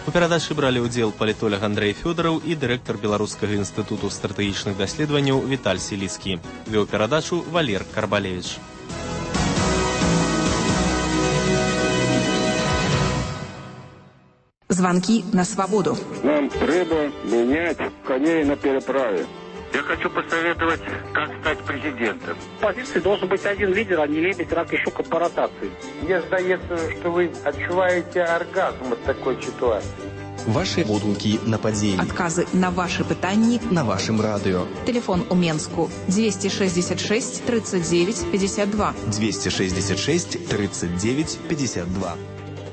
Speaker 1: У перадачы бралі ўдзел палітолог Андрэй Фёдараў і дырэктар Беларускага інстытуту стратэгічных даследаванняў Віталь Селіцкі. Вёў перадачу Валер Карбалевіч.
Speaker 10: Звонки на свободу.
Speaker 11: Нам треба менять коней на переправе.
Speaker 12: Я хочу посоветовать, как стать президентом.
Speaker 13: В позиции должен быть один лидер, а не лебедь, рак и щука по ротации.
Speaker 14: Мне сдается, что вы отчуваете оргазм от такой ситуации.
Speaker 26: Ваши водгуки на падзеі.
Speaker 10: Адказы на ваши пытанні
Speaker 26: на вашым радыё.
Speaker 10: Телефон у Менску двести шестьдесят шесть тридцать девять пятьдесят два.
Speaker 26: двести шестьдесят шесть тридцать девять пятьдесят два.